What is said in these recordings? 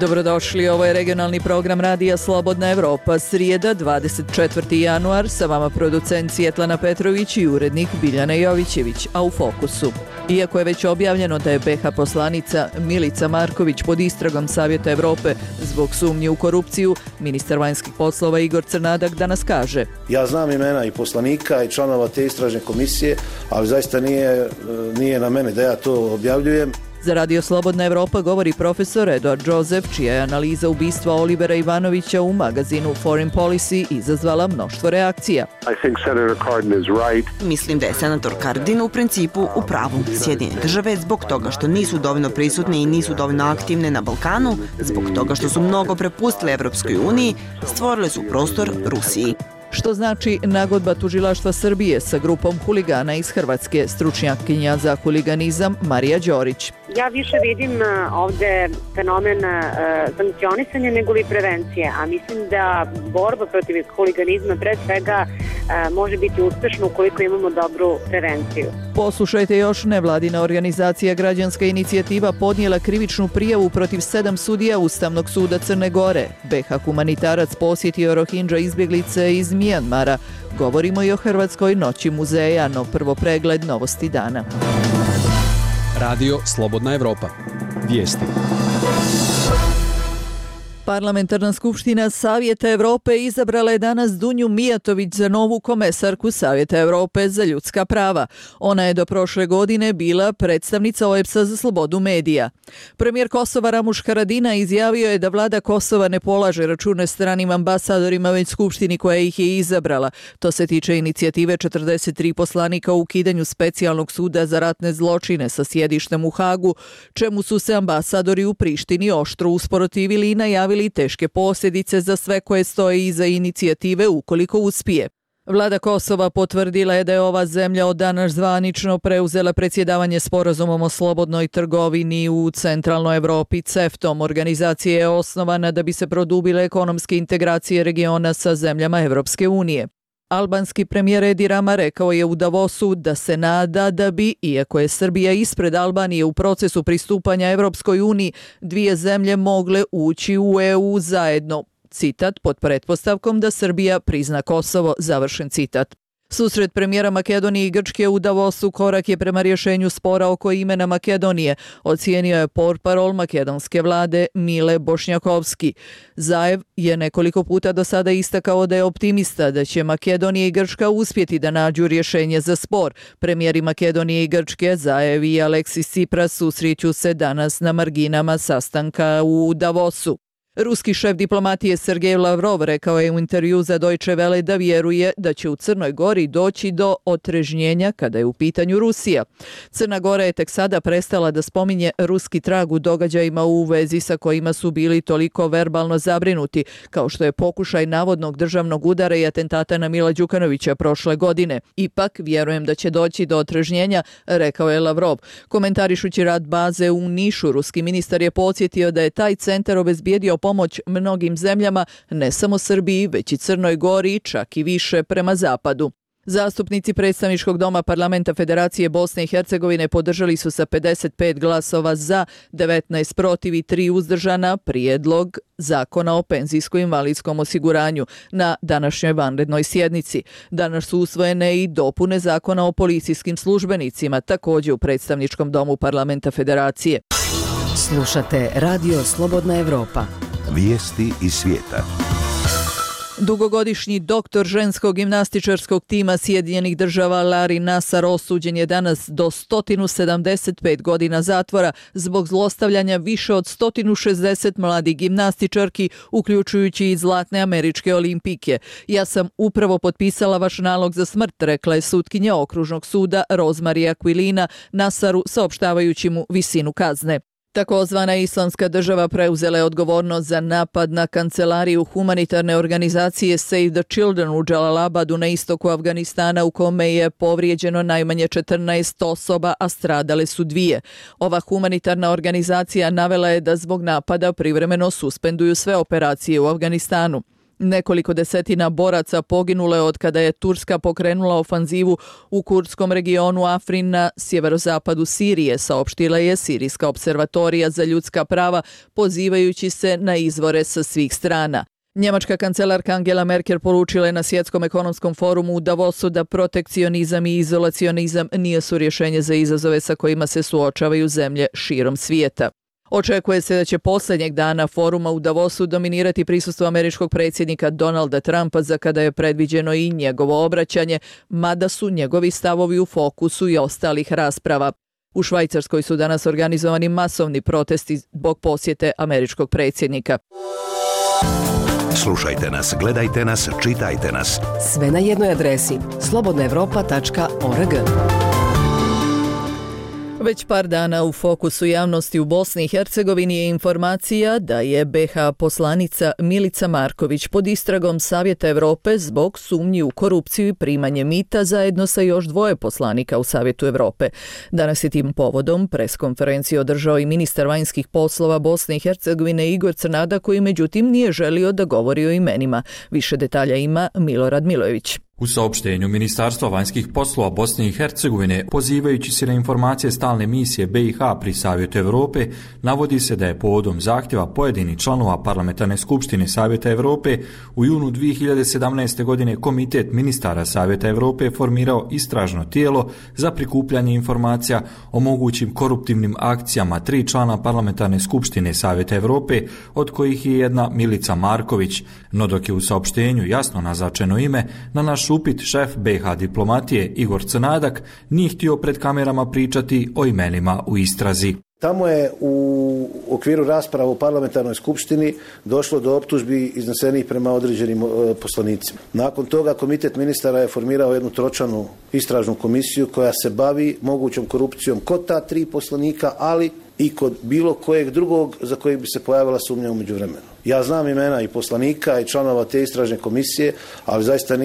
Dobrodošli, ovo je regionalni program Radija Slobodna Evropa, srijeda 24. januar, sa vama producent Svjetlana Petrović i urednik Biljana Jovićević, a u fokusu. Iako je već objavljeno da je BiH poslanica Milica Marković pod istragom Savjeta Evrope zbog sumnje u korupciju, ministar vanjskih poslova Igor Crnadak danas kaže: Ja znam imena i poslanika i članova te istražne komisije, ali zaista nije na mene da ja to objavljujem. Za Radio Slobodna Evropa govori profesor Eduard Joseph, čija je analiza ubistva Olivera Ivanovića u magazinu Foreign Policy izazvala mnoštvo reakcija. Mislim da je senator Cardin u principu u pravu. Sjedinjene države zbog toga što nisu dovoljno prisutne i nisu dovoljno aktivne na Balkanu, zbog toga što su mnogo prepustile Evropskoj uniji, stvorile su prostor Rusiji. Što znači nagodba tužilaštva Srbije sa grupom huligana iz Hrvatske, stručnjakinja za huliganizam Marija Đorić. Ja više vidim ovde fenomen sankcionisanja nego li prevencije, a mislim da borba protiv huliganizma pre svega može biti uspešna ukoliko imamo dobru prevenciju. Poslušajte još, nevladina organizacija Građanska inicijativa podnijela krivičnu prijavu protiv 7 sudija Ustavnog suda Crne Gore. BiH humanitarac posjetio Rohingya izbjeglice iz Mijanmara. Govorimo i o Hrvatskoj noći muzeja, no prvo pregled novosti dana. Radio Slobodna Evropa. Vijesti. Parlamentarna skupština Savjeta Evrope izabrala je danas Dunju Mijatović za novu komesarku Savjeta Evrope za ljudska prava. Ona je do prošle godine bila predstavnica OEBS-a za slobodu medija. Premijer Kosova Ramuš Haradinaj izjavio je da vlada Kosova ne polaže račune stranim ambasadorima već skupštini koja ih je izabrala. To se tiče inicijative 43 poslanika u ukidanju specijalnog suda za ratne zločine sa sjedištem u Hagu, čemu su se ambasadori u Prištini oštro usprotivili i najavili teške posljedice za sve koje stoje iza inicijative ukoliko uspije. Vlada Kosova potvrdila je da je ova zemlja od danas zvanično preuzela predsjedavanje sporazumom o slobodnoj trgovini u centralnoj Evropi CEFTA-om. Organizacija je osnovana da bi se produbile ekonomske integracije regiona sa zemljama Evropske unije. Albanski premijer Edi Rama rekao je u Davosu da se nada da bi, iako je Srbija ispred Albanije u procesu pristupanja Evropskoj uniji, dvije zemlje mogle ući u EU zajedno. Citat, pod pretpostavkom da Srbija prizna Kosovo, završen citat. Susret premijera Makedonije i Grčke u Davosu korak je prema rješenju spora oko imena Makedonije, ocijenio je portparol makedonske vlade Mile Bošnjakovski. Zaev je nekoliko puta do sada istakao da je optimista da će Makedonija i Grčka uspjeti da nađu rješenje za spor. Premijeri Makedonije i Grčke, Zaev i Aleksis Tsipras, susreću se danas na marginama sastanka u Davosu. Ruski šef diplomatije Sergej Lavrov rekao je u intervju za Deutsche Welle da vjeruje da će u Crnoj Gori doći do otrežnjenja kada je u pitanju Rusija. Crna Gora je tek sada prestala da spominje ruski trag u događajima u vezi sa kojima su bili toliko verbalno zabrinuti, kao što je pokušaj navodnog državnog udara i atentata na Mila Đukanovića prošle godine. Ipak, vjerujem da će doći do otrežnjenja, rekao je Lavrov. Komentarišući rad baze u Nišu, ruski ministar je podsjetio da je taj centar obezbijedio pomoć mnogim zemljama, ne samo Srbiji, već i Crnoj Gori, čak i više prema zapadu. Zastupnici predstavničkog doma Parlamenta Federacije Bosne i Hercegovine podržali su sa 55 glasova za, 19 protiv i 3 uzdržana prijedlog Zakona o penzijsko-invalidskom osiguranju na današnjoj vanrednoj sjednici. Danas su usvojene i dopune Zakona o policijskim službenicima, također u predstavničkom domu Parlamenta Federacije. Slušate Radio Slobodna Evropa. Vijesti iz svijeta. Dugogodišnji doktor ženskog gimnastičarskog tima Sjedinjenih država Larry Nassar osuđen je danas do 175 godina zatvora zbog zlostavljanja više od 160 mladih gimnastičarki, uključujući i zlatne američke olimpijke. Ja sam upravo potpisala vaš nalog za smrt, rekla je sutkinja okružnog suda Rosemary Aquilina Nassaru, saopštavajući mu visinu kazne. Takozvana Islamska država preuzela je odgovornost za napad na kancelariju humanitarne organizacije Save the Children u Džalalabadu na istoku Afganistana, u kome je povrijeđeno najmanje 14 osoba, a stradale su 2. Ova humanitarna organizacija navela je da zbog napada privremeno suspenduju sve operacije u Afganistanu. Nekoliko desetina boraca poginulo je od kada je Turska pokrenula ofanzivu u kurdskom regionu Afrin na sjeverozapadu Sirije, saopštila je Sirijska observatorija za ljudska prava, pozivajući se na izvore sa svih strana. Njemačka kancelarka Angela Merkel poručila je na Svjetskom ekonomskom forumu u Davosu da protekcionizam i izolacionizam nisu rješenje za izazove sa kojima se suočavaju zemlje širom svijeta. Očekuje se da će posljednjeg dana foruma u Davosu dominirati prisustvo američkog predsjednika Donalda Trumpa, za kada je predviđeno i njegovo obraćanje, mada su njegovi stavovi u fokusu i ostalih rasprava. U Švajcarskoj su danas organizovani masovni protesti zbog posjete američkog predsjednika. Slušajte nas, gledajte nas, čitajte nas. Sve na jednoj adresi slobodnaevropa.org. Već par dana u fokusu javnosti u Bosni i Hercegovini je informacija da je BiH poslanica Milica Marković pod istragom Savjeta Europe zbog sumnji u korupciju i primanje mita zajedno sa još 2 poslanika u Savjetu Europe. Danas je tim povodom preskonferenciju održao i ministar vanjskih poslova Bosne i Hercegovine Igor Crnada, koji međutim nije želio da govori o imenima. Više detalja ima Milorad Milojević. U saopštenju Ministarstva vanjskih poslova Bosne i Hercegovine, pozivajući se na informacije stalne misije BiH pri Savjetu Europe, navodi se da je povodom zahtjeva pojedinih članova Parlamentarne skupštine Savjeta Europe u junu 2017. godine Komitet ministara Savjeta Europe formirao istražno tijelo za prikupljanje informacija o mogućim koruptivnim akcijama 3 člana Parlamentarne skupštine Savjeta Europe, od kojih je jedna Milica Marković. No dok je u saopštenju jasno naznačeno ime, na naš upit šef BiH diplomatije Igor Crnadak nije htio pred kamerama pričati o imenima u istrazi. Tamo je u okviru rasprava u parlamentarnoj skupštini došlo do optužbi iznesenih prema određenim poslanicima. Nakon toga komitet ministara je formirao jednu tročlanu istražnu komisiju koja se bavi mogućom korupcijom kod ta 3 poslanika, ali i kod bilo kojeg drugog za kojeg bi se pojavila sumnja u međuvremenu. Ja znam imena i poslanika i članova te istražne komisije, ali zaista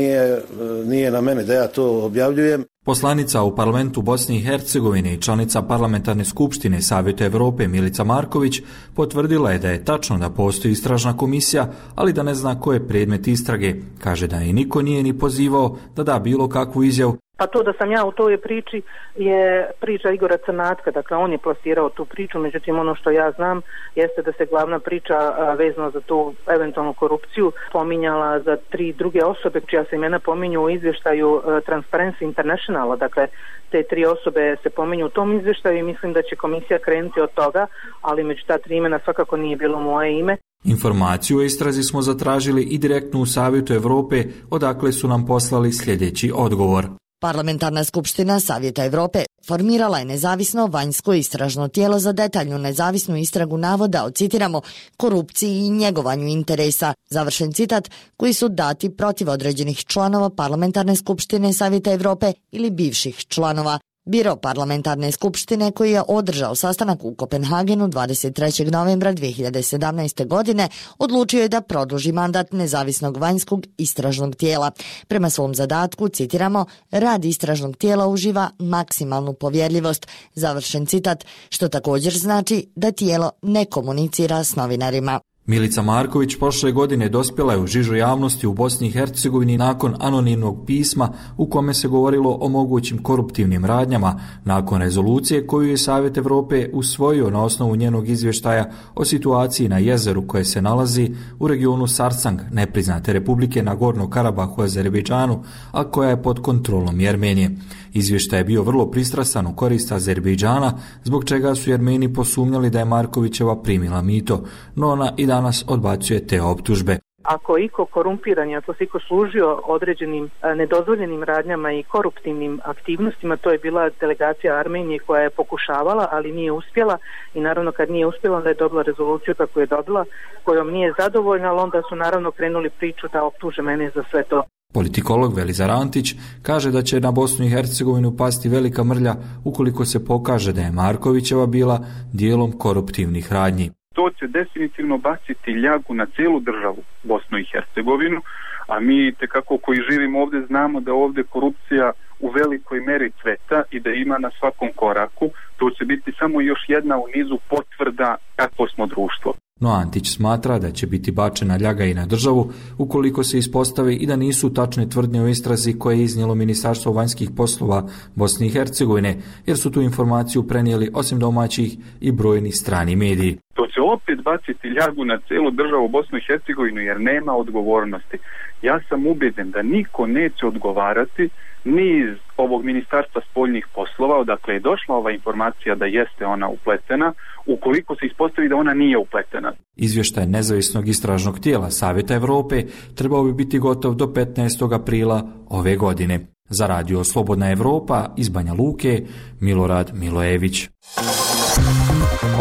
nije na mene da ja to objavljujem. Poslanica u parlamentu Bosne i Hercegovine i članica parlamentarne skupštine Savjeta Europe Milica Marković potvrdila je da je tačno da postoji istražna komisija, ali da ne zna ko je predmet istrage. Kaže da je niko nije ni pozivao da da bilo kakvu izjavu. Pa to da sam ja u toj priči je priča Igora Crnatka, dakle on je plasirao tu priču, međutim ono što ja znam jeste da se glavna priča vezano za tu eventualnu korupciju pominjala za 3 druge osobe, čija se imena pominju u izvještaju Transparency Internationala, dakle te 3 osobe se pominju u tom izvještaju i mislim da će komisija krenuti od toga, ali među ta 3 imena svakako nije bilo moje ime. Informaciju o istrazi smo zatražili i direktno u Savjetu Europe, odakle su nam poslali sljedeći odgovor. Parlamentarna skupština Savjeta Europe formirala je nezavisno vanjsko istražno tijelo za detaljnu nezavisnu istragu navoda o, citiramo, korupciji i njegovanju interesa, završen citat, koji su dati protiv određenih članova Parlamentarne skupštine Savjeta Europe ili bivših članova. Biro Parlamentarne skupštine, koji je održao sastanak u Kopenhagenu 23. novembra 2017. godine, odlučio je da produži mandat nezavisnog vanjskog istražnog tijela. Prema svom zadatku, citiramo, rad istražnog tijela uživa maksimalnu povjerljivost, završen citat, što također znači da tijelo ne komunicira s novinarima. Milica Marković prošle godine dospjela je u žižu javnosti u Bosni i Hercegovini nakon anonimnog pisma u kome se govorilo o mogućim koruptivnim radnjama nakon rezolucije koju je Savjet Europe usvojio na osnovu njenog izvještaja o situaciji na jezeru koje se nalazi u regionu Sarsang, nepriznate republike Nagorno Karabahu u Azerbejdžanu, a koja je pod kontrolom Jermenije. Izvještaj je bio vrlo pristrasan u korist Azerbejdžana, zbog čega su Jermeni posumnjali da je Markovićeva primila mito, no ona i danas odbacuje te optužbe. Ako je iko korumpiran, ako se iko služio određenim nedozvoljenim radnjama i koruptivnim aktivnostima, to je bila delegacija Armenije koja je pokušavala, ali nije uspjela i naravno kad nije uspjela onda je dobila rezoluciju kako je dobila, kojom nije zadovoljna, ali onda su naravno krenuli priču da optuže mene za sve to. Politikolog Velizar Antić kaže da će na Bosnu i Hercegovinu pasti velika mrlja ukoliko se pokaže da je Markovićeva bila dijelom koruptivnih radnji. To će definitivno baciti ljagu na cijelu državu Bosnu i Hercegovinu, a mi tekako koji živimo ovdje znamo da ovdje korupcija u velikoj meri cveta i da ima na svakom koraku. To će biti samo još jedna u nizu potvrda kakvo smo društvo. No Antić smatra da će biti bačena ljaga i na državu ukoliko se ispostavi i da nisu tačne tvrdnje o istrazi koje je iznijelo Ministarstvo vanjskih poslova Bosne i Hercegovine, jer su tu informaciju prenijeli osim domaćih i brojni strani mediji. To će opet baciti ljagu na celu državu Bosnu i Hercegovinu jer nema odgovornosti. Ja sam ubeđen da niko neće odgovarati ni iz ovog Ministarstva spoljnih poslova, odakle je došla ova informacija da jeste ona upletena, ukoliko se ispostavi da ona nije upletena. Izvještaj nezavisnog istražnog tijela Savjeta Evrope trebao bi biti gotov do 15. aprila ove godine. Za Radio Slobodna Evropa iz Banja Luke, Milorad Milojević.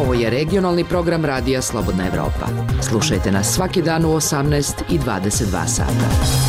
Ovo je regionalni program Radija Slobodna Evropa. Slušajte nas svaki dan u 18 i 22 sata.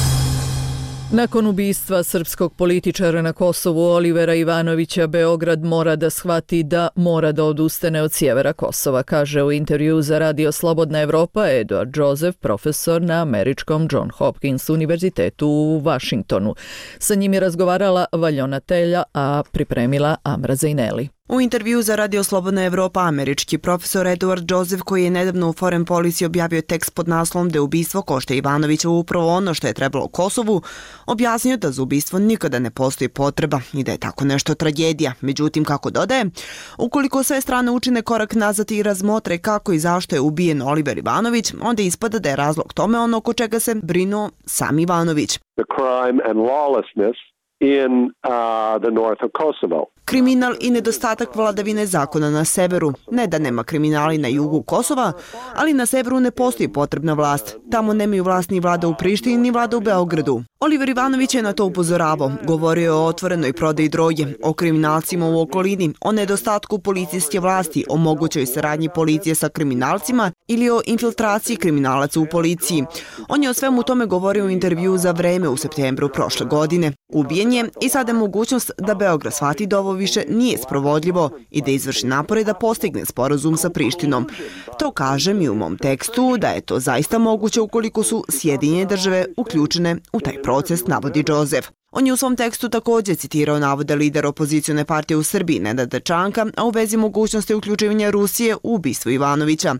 Nakon ubistva srpskog političara na Kosovu Olivera Ivanovića, Beograd mora da shvati da mora da odustane od sjevera Kosova, kaže u intervju za Radio Slobodna Evropa Edward Joseph, profesor na američkom John Hopkins univerzitetu u Vašingtonu. Sa njim je razgovarala Valjona Telja, a pripremila Amra Zejneli. U intervju za Radio Slobodna Evropa američki profesor Edward Joseph, koji je nedavno u Foreign Policy objavio tekst pod naslovom da je ubistvo Košte Ivanovića upravo ono što je trebalo Kosovu, objasnio da za ubistvo nikada ne postoji potreba i da je tako nešto tragedija. Međutim, kako dodaje, ukoliko sve strane učine korak nazad i razmotre kako i zašto je ubijen Oliver Ivanović, onda ispada da je razlog tome ono oko čega se brinuo sam Ivanović. The crime and lawlessness in the north of Kosovo. Kriminal i nedostatak vladavine zakona na severu. Ne da nema kriminali na jugu Kosova, ali na severu ne postoji potrebna vlast. Tamo nemaju vlast ni vlada u Prištini, ni vlada u Beogradu. Oliver Ivanović je na to upozoravao. Govorio je o otvorenoj prodaji droge, o kriminalcima u okolini, o nedostatku policijske vlasti, o mogućoj saradnji policije sa kriminalcima ili o infiltraciji kriminalaca u policiji. On je o svemu tome govorio u intervju za Vreme u septembru prošle godine. Ubijen je i sada je mogućnost da Beograd shvati da ovo više nije sprovodljivo i da izvrši napore da postigne sporazum sa Prištinom. To kažem i u mom tekstu da je to zaista moguće ukoliko su Sjedinjene države uključene u taj proces, navodi Joseph. On je u svom tekstu također citirao navode lidera opozicione partije u Srbiji, Nenada Čanka, a u vezi mogućnosti uključivanja Rusije u ubistvo Ivanovića.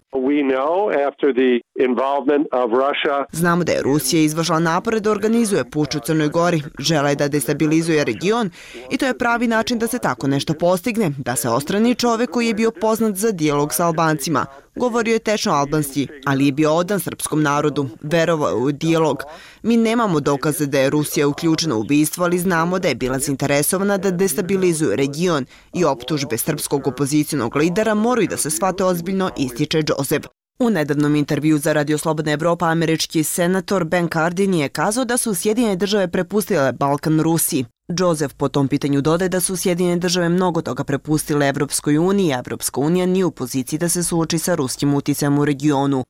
Znamo da je Rusija izvršila napore da organizuje puč u Crnoj Gori, žele da destabilizuje region i to je pravi način da se tako nešto postigne, da se odstrani čovek koji je bio poznat za dijalog sa Albancima. Govorio je tečno albanski, ali je bio odan srpskom narodu, verovao je u dijalog. Mi nemamo dokaze da je Rusija uključena u ubistvo, ali znamo da je bila zainteresovana da destabilizuje region i optužbe srpskog opozicijonog lidera moraju da se shvate ozbiljno, ističe Joseph. U nedavnom intervju za Radio Slobodna Evropa američki senator Ben Cardin je kazao da su Sjedinjene države prepustile Balkan Rusiji. Joseph po tom pitanju dodaje da su Sjedinjene države mnogo toga prepustile Evropskoj uniji, a Evropska unija nije u poziciji da se suoči sa ruskim uticajem u regionu.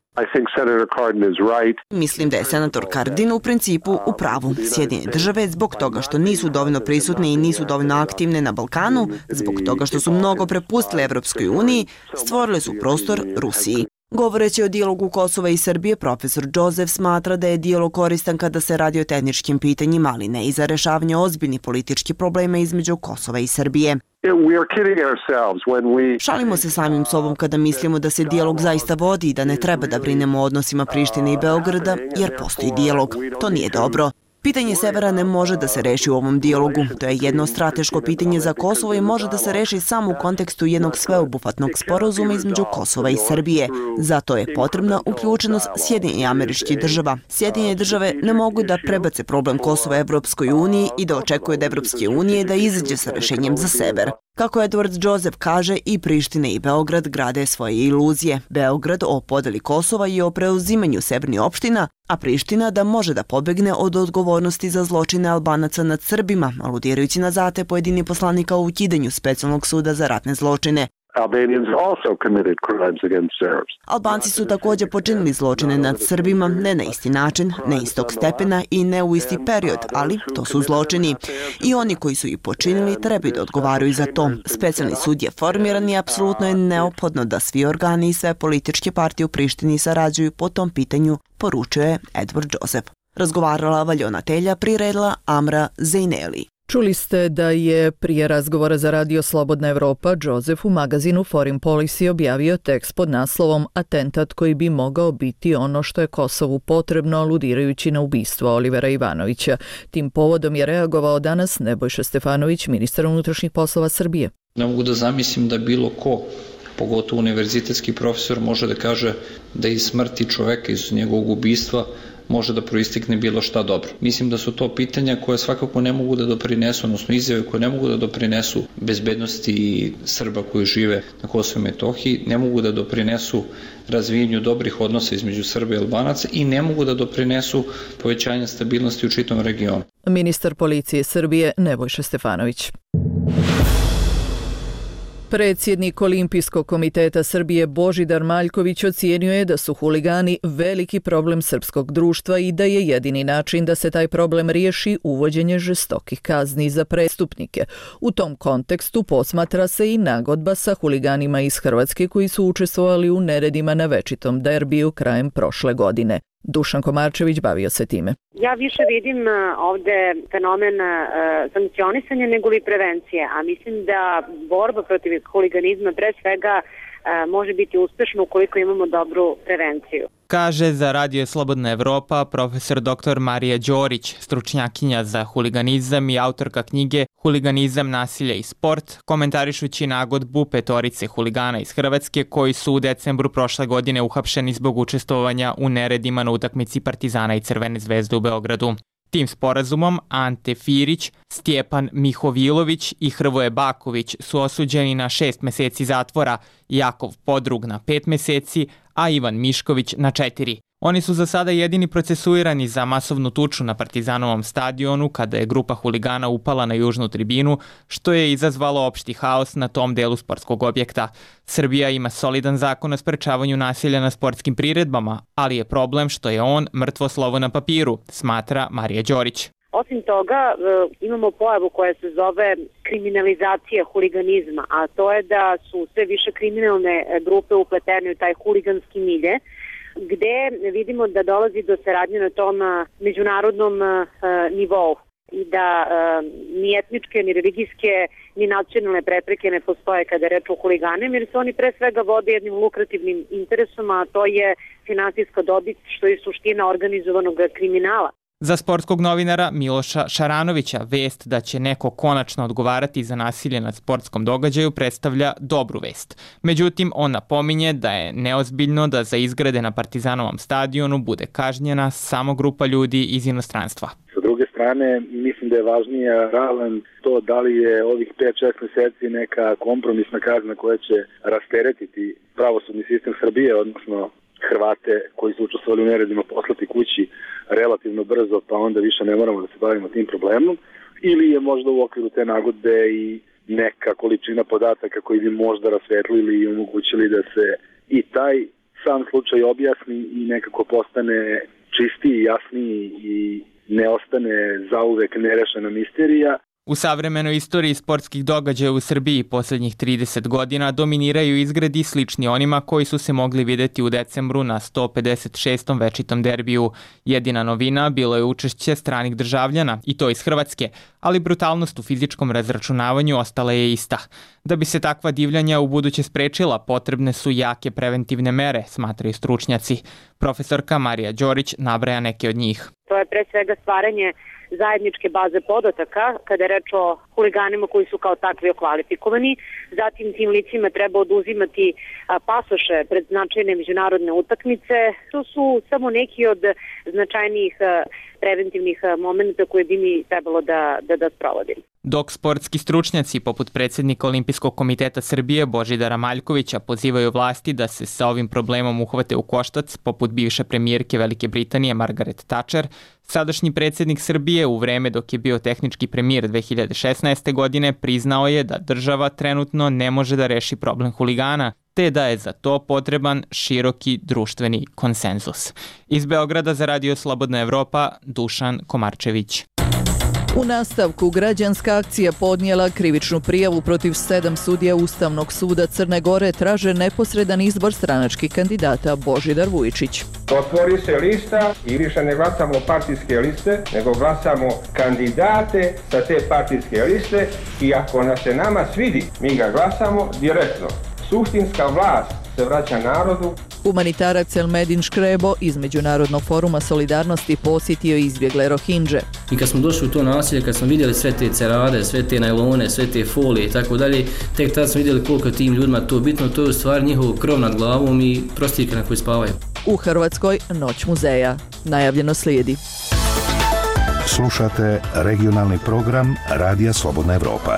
Mislim da je senator Cardin u principu u pravu. Sjedinjene države zbog toga što nisu dovoljno prisutne i nisu dovoljno aktivne na Balkanu, zbog toga što su mnogo prepustile Evropskoj uniji, stvorile su prostor Rusiji. Govoreći o dijalogu Kosova i Srbije, profesor Joseph smatra da je dijalog koristan kada se radi o tehničkim pitanjima, ali ne i za rešavanje ozbiljnih političkih problema između Kosova i Srbije. Šalimo se samim sobom kada mislimo da se dijalog zaista vodi i da ne treba da brinemo o odnosima Prištine i Beograda, jer postoji dijalog. To nije dobro. Pitanje severa ne može da se reši u ovom dijalogu. To je jedno strateško pitanje za Kosovo i može da se reši samo u kontekstu jednog sveobuhvatnog sporazuma između Kosova i Srbije. Zato je potrebna uključenost Sjedinjenih Američkih Država. Sjedinjene države ne mogu da prebace problem Kosova Evropskoj uniji i da očekuje od Evropske unije da izađe sa rešenjem za sever. Kako Edward Joseph kaže, i Priština i Beograd grade svoje iluzije. Beograd o podeli Kosova i o preuzimanju severnih opština, a Priština da može da pobegne od odgovornosti za zločine Albanaca nad Srbima, aludirajući na zate pojedinih poslanika o ukidanju specijalnog suda za ratne zločine. Albanci su također počinili zločine nad Srbima, ne na isti način, ne istog stepena i ne u isti period, ali to su zločini. I oni koji su ih počinili trebaju da odgovaraju za to. Specijalni sud je formiran i apsolutno je neophodno da svi organi i sve političke partije u Prištini sarađuju po tom pitanju, poručuje Edward Joseph. Razgovarala Valjona Telja, priredila Amra Zejneli. Čuli ste da je prije razgovora za Radio Slobodna Evropa Joseph u magazinu Foreign Policy objavio tekst pod naslovom Atentat koji bi mogao biti ono što je Kosovu potrebno, aludirajući na ubistvo Olivera Ivanovića. Tim povodom je reagovao danas Nebojša Stefanović, ministar unutrašnjih poslova Srbije. Ne mogu da zamislim da bilo ko, pogotovo univerzitetski profesor, može da kaže da iz smrti čoveka, iz njegovog ubistva, može da proistekne bilo šta dobro. Mislim da su to pitanja koje svakako ne mogu da doprinesu, odnosno izjave koje ne mogu da doprinesu bezbednosti Srba koji žive na Kosovu i Metohiji, ne mogu da doprinesu razvijenju dobrih odnosa između Srba i Albanaca i ne mogu da doprinesu povećanju stabilnosti u čitavom regionu. Ministar policije Srbije Nebojša Stefanović. Predsjednik Olimpijskog komiteta Srbije Božidar Maljković ocijenio je da su huligani veliki problem srpskog društva i da je jedini način da se taj problem riješi uvođenje žestokih kazni za prestupnike. U tom kontekstu posmatra se i nagodba sa huliganima iz Hrvatske koji su učestvovali u neredima na večitom derbiju krajem prošle godine. Dušan Komarčević bavio se time. Ja više vidim ovde fenomen sankcionisanja nego li prevencije, a mislim da borba protiv huliganizma pre svega može biti uspešna ukoliko imamo dobru prevenciju. Kaže za Radio Slobodna Evropa profesor dr. Marija Đorić, stručnjakinja za huliganizam i autorka knjige Huliganizam, nasilje i sport, komentarišući nagodbu petorice huligana iz Hrvatske koji su u decembru prošle godine uhapšeni zbog učestvovanja u neredima na utakmici Partizana i Crvene zvezde u Beogradu. Tim sporazumom Ante Firić, Stjepan Mihovilović i Hrvoje Baković su osuđeni na 6 meseci zatvora, Jakov Podrug na 5 meseci, a Ivan Mišković na 4. Oni su za sada jedini procesuirani za masovnu tuču na Partizanovom stadionu kada je grupa huligana upala na južnu tribinu, što je izazvalo opšti haos na tom delu sportskog objekta. Srbija ima solidan zakon o sprečavanju nasilja na sportskim priredbama, ali je problem što je on mrtvo slovo na papiru, smatra Marija Đorić. Osim toga, imamo pojavu koja se zove kriminalizacija huliganizma, a to je da su sve više kriminalne grupe upletene u taj huliganski milje, gde vidimo da dolazi do saradnje na tom međunarodnom nivou i da ni etničke, ni religijske, ni nacionalne prepreke ne postoje kada je reč o huliganima, jer se oni pre svega vode jednim lukrativnim interesom, a to je finansijska dobit, što je suština organizovanog kriminala. Za sportskog novinara Miloša Šaranovića vest da će neko konačno odgovarati za nasilje na sportskom događaju predstavlja dobru vest. Međutim, on napominje da je neozbiljno da za izgrade na Partizanovom stadionu bude kažnjena samo grupa ljudi iz inostranstva. Sa druge strane, mislim da je važnija ravan to da li je ovih 5-6 meseci neka kompromisna kazna koja će rasteretiti pravosudni sistem Srbije, odnosno Hrvate koji su učestvovali u neredima poslati kući relativno brzo, pa onda više ne moramo da se bavimo tim problemom, ili je možda u okviru te nagodbe i neka količina podataka koji bi možda rasvetlili i omogućili da se i taj sam slučaj objasni i nekako postane čistiji, jasniji i ne ostane zauvek nerešena misterija. U savremenoj istoriji sportskih događaja u Srbiji posljednjih 30 godina dominiraju izgredi slični onima koji su se mogli vidjeti u decembru na 156. večitom derbiju. Jedina novina bilo je učešće stranih državljana, i to iz Hrvatske, ali brutalnost u fizičkom razračunavanju ostala je ista. Da bi se takva divljanja u buduće sprečila, potrebne su jake preventivne mere, smatraju stručnjaci. Profesorka Marija Đorić nabraja neke od njih. To je pre svega stvaranje zajedničke baze podataka kada je reč o huliganima koji su kao takvi okvalifikovani. Zatim tim licima treba oduzimati pasoše pred značajne međunarodne utakmice. To su samo neki od značajnijih preventivnih momenta koje bi mi trebalo da sprovodimo. Dok sportski stručnjaci poput predsjednika Olimpijskog komiteta Srbije Božidara Maljkovića pozivaju vlasti da se sa ovim problemom uhvate u koštac, poput bivše premijerke Velike Britanije Margaret Thatcher, sadašnji predsjednik Srbije u vreme dok je bio tehnički premijer 2016. godine priznao je da država trenutno ne može da reši problem huligana, te da je za to potreban široki društveni konsenzus. Iz Beograda za Radio Slobodna Evropa, Dušan Komarčević. U nastavku građanska akcija podnijela krivičnu prijavu protiv 7 sudija Ustavnog suda Crne Gore, traže neposredan izbor stranačkih kandidata. Božidar Vujičić. Otvori se lista i više ne glasamo partijske liste, nego glasamo kandidate sa te partijske liste i ako nas se nama svidi, mi ga glasamo direktno. Suštinska vlast se vraća narodu. Humanitarac Elmedin Škrebo iz Međunarodnog foruma solidarnosti posjetio izbjegle Rohindže. I kad smo došli u to naselje, kad smo vidjeli sve te cerade, sve te najlone, sve te folije i tako dalje, tek tad smo vidjeli koliko tim ljudima to bitno, to je u stvari njihov krov nad glavom i prostirke na koji spavaju. U Hrvatskoj Noć muzeja. Najavljeno slijedi. Slušate regionalni program Radija Slobodna Evropa.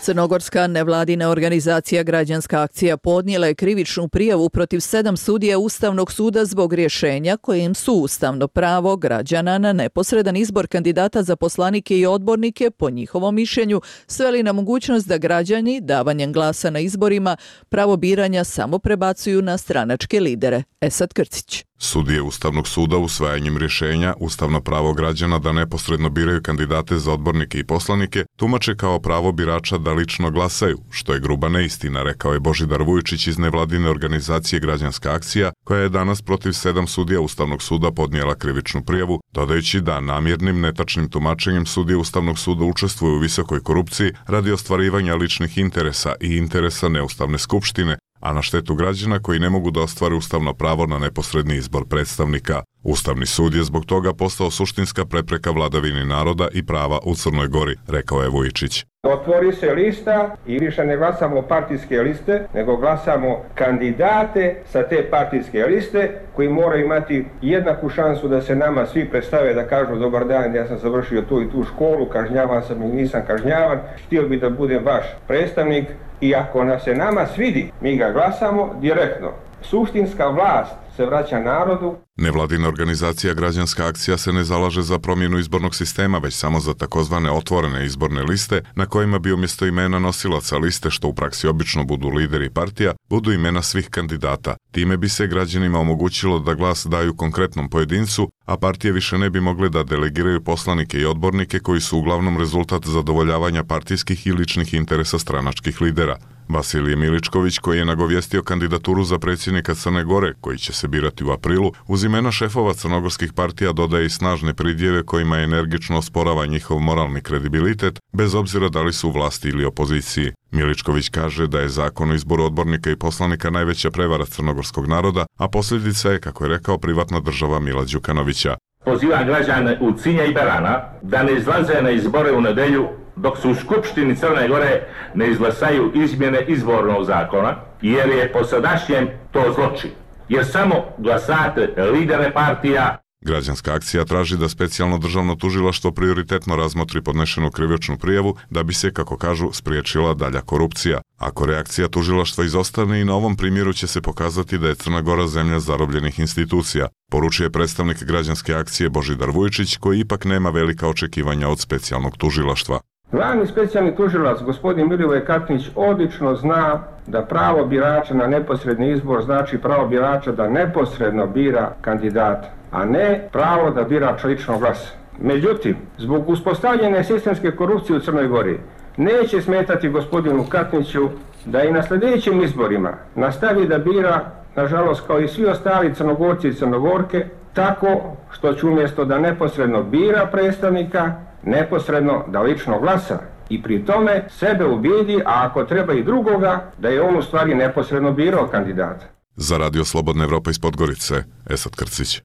Crnogorska nevladina organizacija Građanska akcija podnijela je krivičnu prijavu protiv 7 sudija Ustavnog suda zbog rješenja kojim su ustavno pravo građana na neposredan izbor kandidata za poslanike i odbornike, po njihovom mišljenju, sveli na mogućnost da građani davanjem glasa na izborima pravo biranja samo prebacuju na stranačke lidere. Esad Krcić. Sudije Ustavnog suda usvajanjem rješenja ustavno pravo građana da neposredno biraju kandidate za odbornike i poslanike tumače kao pravo birača da lično glasaju, što je gruba neistina, rekao je Božidar Vujičić iz nevladine organizacije Građanska akcija, koja je danas protiv 7 sudija Ustavnog suda podnijela krivičnu prijavu, dodajući da namjernim netačnim tumačenjem sudije Ustavnog suda učestvuju u visokoj korupciji radi ostvarivanja ličnih interesa i interesa neustavne skupštine, a na štetu građana koji ne mogu da ostvare ustavno pravo na neposredni izbor predstavnika. Ustavni sud je zbog toga postao suštinska prepreka vladavini naroda i prava u Crnoj Gori, rekao je Vujičić. Otvori se lista i više ne glasamo partijske liste, nego glasamo kandidate sa te partijske liste koji moraju imati jednaku šansu da se nama svi predstave, da kažu dobar dan, ja sam završio tu i tu školu, kažnjavan sam i nisam kažnjavan, htio bi da budem vaš predstavnik i ako nas se nama svidi, mi ga glasamo direktno. Suštinska vlast se vraća narodu. Nevladina organizacija Građanska akcija se ne zalaže za promjenu izbornog sistema, već samo za takozvane otvorene izborne liste, na kojima bi umjesto imena nosilaca liste, što u praksi obično budu lideri partija, budu imena svih kandidata. Time bi se građanima omogućilo da glas daju konkretnom pojedincu, a partije više ne bi mogle da delegiraju poslanike i odbornike koji su uglavnom rezultat zadovoljavanja partijskih i ličnih interesa stranačkih lidera. Vasilije Miličković, koji je nagovijestio kandidaturu za predsjednika Crne Gore, koji će se birati u aprilu, uz imena šefova crnogorskih partija dodaje i snažne pridjeve kojima je energično osporava njihov moralni kredibilitet, bez obzira da li su u vlasti ili opoziciji. Miličković kaže da je zakon o izboru odbornika i poslanika najveća prevara crnogorskog naroda, a posljedica je, kako je rekao, privatna država Mila Đukanovića. Pozivam građane u Cinja i Berana da ne izlaze na izbore u nedelju dok su u Skupštini Crne Gore ne izglasaju izmjene izbornog zakona, jer je po sadašnjem to zločin. Jer samo glasate lidere partija. Građanska akcija traži da specijalno državno tužilaštvo prioritetno razmotri podnešenu krivičnu prijavu da bi se, kako kažu, spriječila dalja korupcija. Ako reakcija tužilaštva izostane, i na ovom primjeru će se pokazati da je Crna Gora zemlja zarobljenih institucija, poručuje predstavnik Građanske akcije Božidar Vujičić, koji ipak nema velika očekivanja od specijalnog tužilaštva. Glavni specijalni tužilac, gospodin Milivoje Katnić, odlično zna da pravo birača na neposredni izbor znači pravo birača da neposredno bira kandidata, a ne pravo da bira lično glas. Međutim, zbog uspostavljene sistemske korupcije u Crnoj Gori, neće smetati gospodinu Katniću da i na sljedećim izborima nastavi da bira, nažalost kao i svi ostali Crnogorci i Crnogorke, tako što će umjesto da neposredno bira predstavnika, neposredno da lično glasa i pri tome sebe ubijedi, a ako treba i drugoga, da je on u stvari neposredno birao kandidata. Za Radio Slobodna Evropa iz Podgorice, Esad Krcić.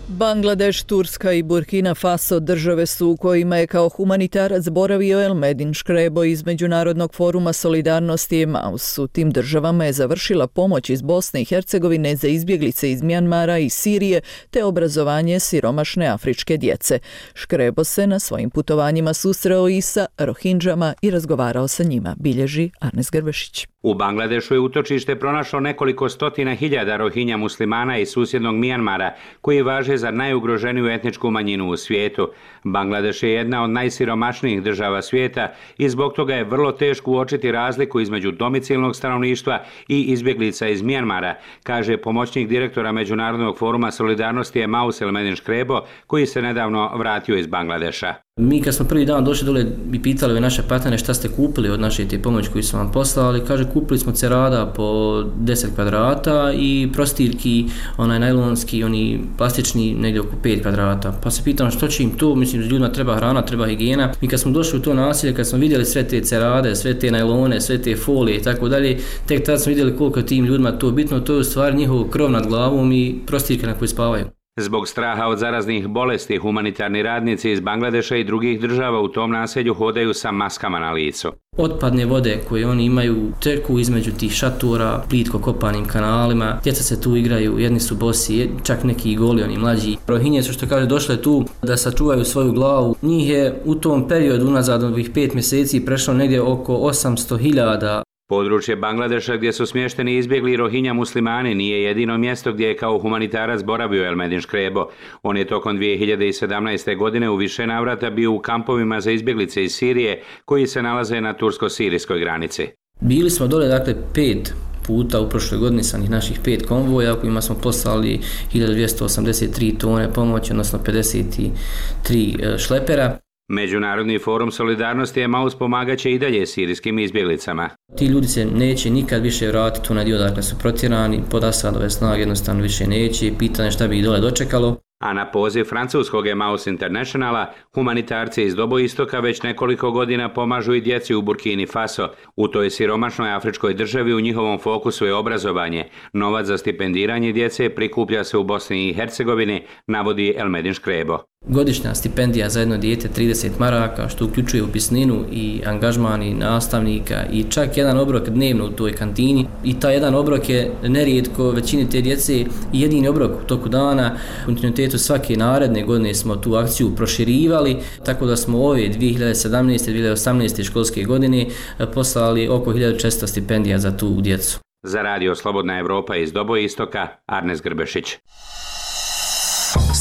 Bangladeš, Turska i Burkina Faso države su u kojima je kao humanitarac boravio Elmedin Škrebo iz Međunarodnog foruma solidarnosti Emaus. U tim državama je završila pomoć iz Bosne i Hercegovine za izbjeglice iz Mjanmara i Sirije te obrazovanje siromašne afričke djece. Škrebo se na svojim putovanjima susreo i sa Rohindžama i razgovarao sa njima, bilježi Arnes Grbešić. U Bangladešu je utočište pronašlo nekoliko stotina hiljada Rohinja muslimana iz susjednog Mjanmara koji važe za najugroženiju etničku manjinu u svijetu. Bangladeš je jedna od najsiromašnijih država svijeta i zbog toga je vrlo teško uočiti razliku između domicilnog stanovništva i izbjeglica iz Mijanmara, kaže pomoćnik direktora Međunarodnog foruma solidarnosti Emaus Elmedin Škrebo, koji se nedavno vratio iz Bangladeša. Mi kad smo prvi dan došli dole i pitali ove naše partnere šta ste kupili od naše te pomoći koju su vam poslali, kaže kupili smo cerada po 10 kvadrata i prostirki, onaj najlonski, oni plastični negdje oko 5 kvadrata. Pa se pitam što će im to, mislim da ljudima treba hrana, treba higijena. Mi kad smo došli u to naselje, kad smo vidjeli sve te cerade, sve te najlone, sve te folije i tako dalje, tek tad smo vidjeli koliko tim ljudima to bitno, to je u stvari njihov krov nad glavom i prostirke na koji spavaju. Zbog straha od zaraznih bolesti, humanitarni radnici iz Bangladeša i drugih država u tom naselju hodaju sa maskama na licu. Otpadne vode koje oni imaju teku između tih šatora, plitko kopanim kanalima, djeca se tu igraju, jedni su bosi, čak neki i goli, oni mlađi. Rohinje su, što kaže, došle tu da sačuvaju svoju glavu. Njih je u tom periodu unazad ovih 5 mjeseci prešlo negdje oko 800.000. Područje Bangladeša gdje su smješteni izbjegli Rohinja muslimani nije jedino mjesto gdje je kao humanitarac boravio Elmedin Škrebo. On je tokom 2017. godine u više navrata bio u kampovima za izbjeglice iz Sirije koji se nalaze na tursko-sirijskoj granici. Bili smo dole, dakle, 5 puta u prošloj godini sa naših 5 konvoja kojima smo poslali 1283 tone pomoći, odnosno 53 šlepera. Međunarodni forum solidarnosti Emaus pomagaće i dalje sirijskim izbjeglicama. Ti ljudi se neće nikad više vratiti u onaj dakle su protjerani, pod Asadove snage jednostavno više neće, pitanje šta bi ih dole dočekalo. A na poziv francuskog Emaus Internationala, humanitarci iz Doboistoka već nekoliko godina pomažu i djeci u Burkini Faso. U toj siromašnoj afričkoj državi u njihovom fokusu je obrazovanje. Novac za stipendiranje djece prikuplja se u Bosni i Hercegovini, navodi Elmedin Škrebo. Godišnja stipendija za jedno dijete 30 maraka, što uključuje upisninu i angažman i nastavnika i čak jedan obrok dnevno u toj kantini. I taj jedan obrok je nerijetko većini te djece jedini obrok u toku dana. U kontinuitetu svake naredne godine smo tu akciju proširivali, tako da smo ove 2017. 2018. školske godine poslali oko 1400 stipendija za tu djecu. Za Radio Slobodna Evropa iz Doboistoka, Arnes Grbešić.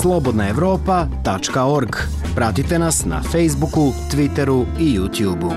slobodnaevropa.org. Pratite nas na Facebooku, Twitteru i YouTubeu.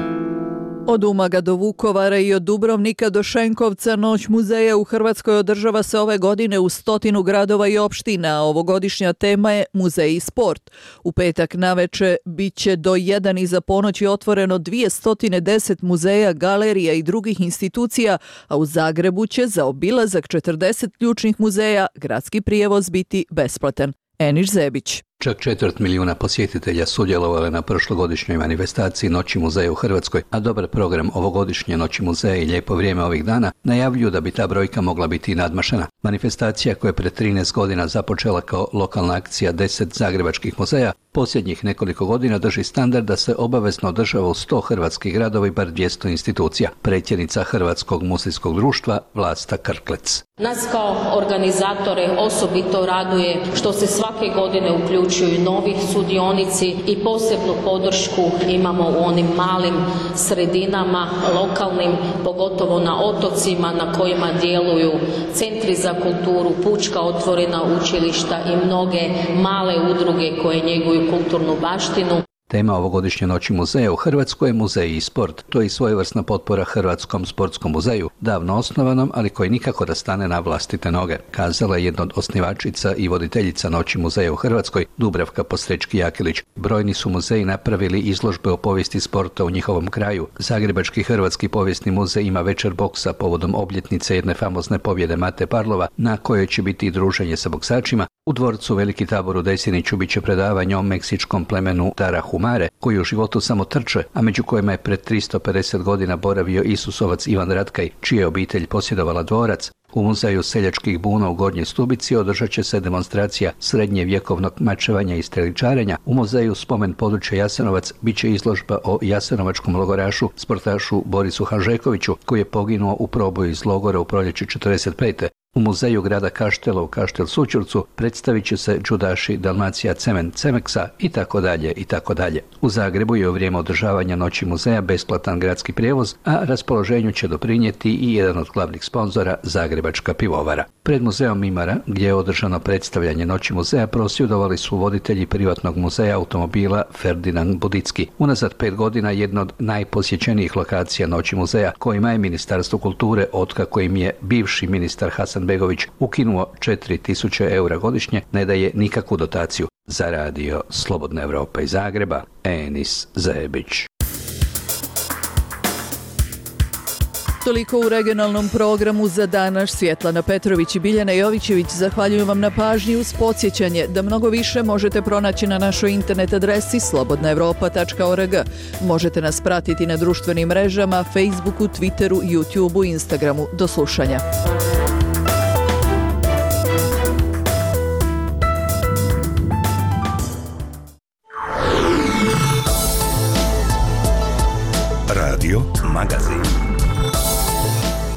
Od Umaga do Vukovara i od Dubrovnika do Šenkovca Noć muzeja u Hrvatskoj održava se ove godine u 100 gradova i opština, a ovogodišnja tema je Muzej i sport. U petak naveče bit će do 1 iza ponoći otvoreno 210 muzeja, galerija i drugih institucija, a u Zagrebu će za obilazak 40 ključnih muzeja gradski prijevoz biti besplatan. Eniš Zebić. Čak 250.000 posjetitelja sudjelovalo na prošlogodišnjoj manifestaciji Noći muzeja u Hrvatskoj, a dobar program ovogodišnje Noći muzeja i lijepo vrijeme ovih dana najavljuju da bi ta brojka mogla biti i nadmašena. Manifestacija koja je pred 13 godina započela kao lokalna akcija 10 zagrebačkih muzeja, posljednjih nekoliko godina drži standard da se obavezno održava u 100 hrvatskih gradova i bar 200 institucija. Predsjednica Hrvatskog muzejskog društva Vlasta Krklec. Nas kao organizatore osobito raduje što se svake godine uključuju novi sudionici i posebnu podršku imamo u onim malim sredinama, lokalnim, pogotovo na otocima na kojima djeluju centri za kulturu, pučka otvorena učilišta i mnoge male udruge koje njeguju kulturnu baštinu. Tema ovogodišnje Noći muzeja u Hrvatskoj je Muzej i sport. To je i svojevrsna potpora Hrvatskom sportskom muzeju, davno osnovanom, ali koji nikako da stane na vlastite noge, kazala je jedna od osnivačica i voditeljica Noći muzeja u Hrvatskoj, Dubravka Posrečki-Jakilić. Brojni su muzeji napravili izložbe o povijesti sporta u njihovom kraju. Zagrebački Hrvatski povijesni muzej ima večer boksa povodom obljetnice jedne famozne pobjede Mate Parlova, na kojoj će biti i druženje sa boksačima. U dvorcu Veliki Tabor u Desiniću bit će predavanje o meksičkom plemenu Tarahumare, koji u životu samo trče, a među kojima je pred 350 godina boravio Isusovac Ivan Ratkaj, čija je obitelj posjedovala dvorac. U muzeju seljačkih buna u Gornjoj Stubici održat će se demonstracija srednjevjekovnog mačevanja i streličarenja. U muzeju Spomen područja Jasenovac bit će izložba o jasenovačkom logorašu, sportašu Borisu Hanžekoviću, koji je poginuo u proboju iz logora u proljeću 1945. U muzeju grada Kaštela u Kaštel Sućurcu predstavit će se džudaši Dalmacija Cement Cemeksa i tako dalje i tako dalje. U Zagrebu je u vrijeme održavanja Noći muzeja besplatan gradski prijevoz, a raspoloženju će doprinijeti i jedan od glavnih sponzora, Zagrebačka pivovara. Pred muzeom Mimara, gdje je održano predstavljanje Noći muzeja, prosvjedovali su voditelji privatnog muzeja automobila Ferdinand Budicki. Unazad 5 godina jedna od najposjećenijih lokacija Noći muzeja, kojima je Ministarstvo kulture, otkako im je bivši ministar Hasanbegović ukinuo 4.000 eura godišnje, ne daje nikakvu dotaciju. Za radio Slobodna Evropa iz Zagreba, Enis Zebić. Toliko u regionalnom programu za danas. Svjetlana Petrović i Biljana Jovićević zahvaljujem vam na pažnji uz podsjećanje da mnogo više možete pronaći na našoj internet adresi slobodnaevropa.org. Možete nas pratiti na društvenim mrežama, Facebooku, Twitteru, YouTubeu i Instagramu. Do slušanja. Radio Magazin.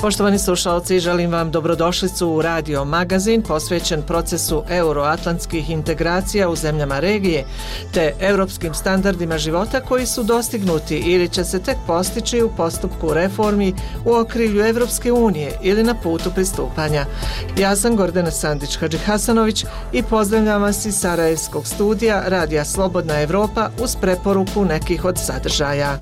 Poštovani slušalci, želim vam dobrodošlicu u Radio Magazin posvećen procesu euroatlantskih integracija u zemljama regije te europskim standardima života koji su dostignuti ili će se tek postići u postupku reformi u okrilju Evropske unije ili na putu pristupanja. Ja sam Gordana Sandić-Hadžihasanović i pozdravljam vas iz Sarajevskog studija Radija Slobodna Evropa uz preporuku nekih od sadržaja.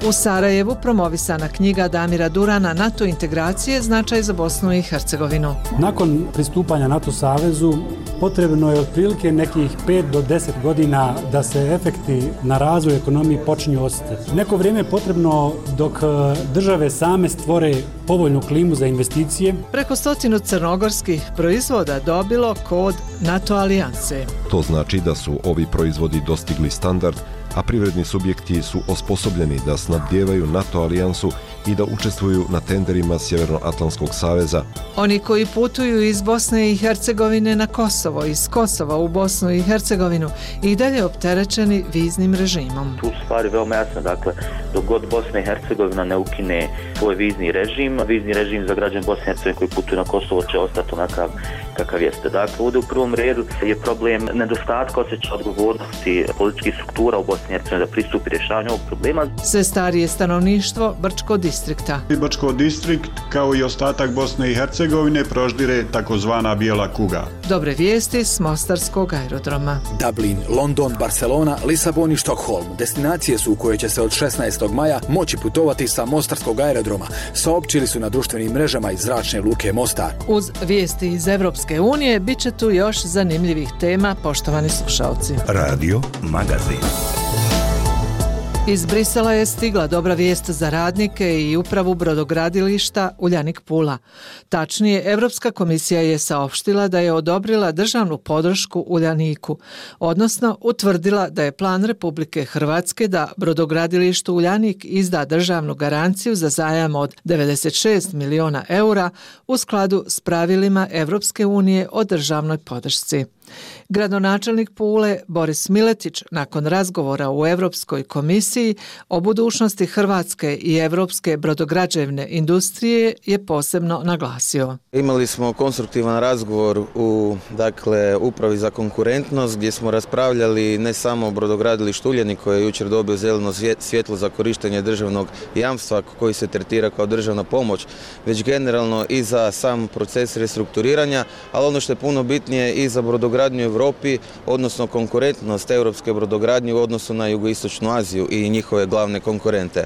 U Sarajevu promovisana knjiga Damira Durana NATO integracije, značaj za Bosnu i Hercegovinu. Nakon pristupanja NATO savezu potrebno je otprilike nekih 5 do 10 godina da se efekti na razvoj ekonomije počinju osjetiti. Neko vrijeme je potrebno dok države same stvore povoljnu klimu za investicije. Preko 100 crnogorskih proizvoda dobilo kod NATO alijanse. To znači da su ovi proizvodi dostigli standard, a privredni subjekti su osposobljeni da snabdijevaju NATO alijansu i da učestvuju na tenderima Sjevernoatlantskog saveza. Oni koji putuju iz Bosne i Hercegovine na Kosovo, iz Kosova u Bosnu i Hercegovinu i dalje opterećeni viznim režimom. Tu stvari veoma jasno, dakle, dok god Bosna i Hercegovina ne ukine svoj vizni režim za građane Bosne i Hercegovine koji putuju na Kosovo će ostati onakav kakav jeste. Dakle, ovdje u prvom redu je problem nedostatka osjećaja odgovornosti političkih struktura u Bosni i Hercegovini da pristupi rješavanju ovog problema. Sve starije stanovništvo Brčko distrikta. Brčko distrikt, kao i ostatak Bosne i Hercegovine, proždire takozvana bijela kuga. Dobre vijesti s Mostarskog aerodroma. Dublin, London, Barcelona, Lisabon i Štokholm. Destinacije su u koje će se od 16. maja moći putovati sa Mostarskog aerodroma, saopćili su na društvenim mrežama iz zračne luke Mostar. Uz vijesti iz Evropske unije bit će tu još zanimljivih tema, poštovani slušalci. Radio Magazin. Iz Brisela je stigla dobra vijest za radnike i upravu brodogradilišta Uljanik Pula. Tačnije, Evropska komisija je saopštila da je odobrila državnu podršku Uljaniku, odnosno utvrdila da je plan Republike Hrvatske da brodogradilištu Uljanik izda državnu garanciju za zajam od 96 miliona eura u skladu s pravilima Evropske unije o državnoj podršci. Gradonačelnik Pule Boris Miletić nakon razgovora u Europskoj komisiji o budućnosti Hrvatske i evropske brodograđevne industrije je posebno naglasio. Imali smo konstruktivan razgovor u Upravi za konkurentnost gdje smo raspravljali ne samo o brodogradilištu Uljanik koji je jučer dobio zeleno svjetlo za korištenje državnog jamstva koji se tretira kao državna pomoć, već generalno i za sam proces restrukturiranja, ali ono što je puno bitnije i za brodogradnju u Europi, odnosno konkurentnost europske brodogradnje u odnosu na jugoistočnu Aziju i njihove glavne konkurente.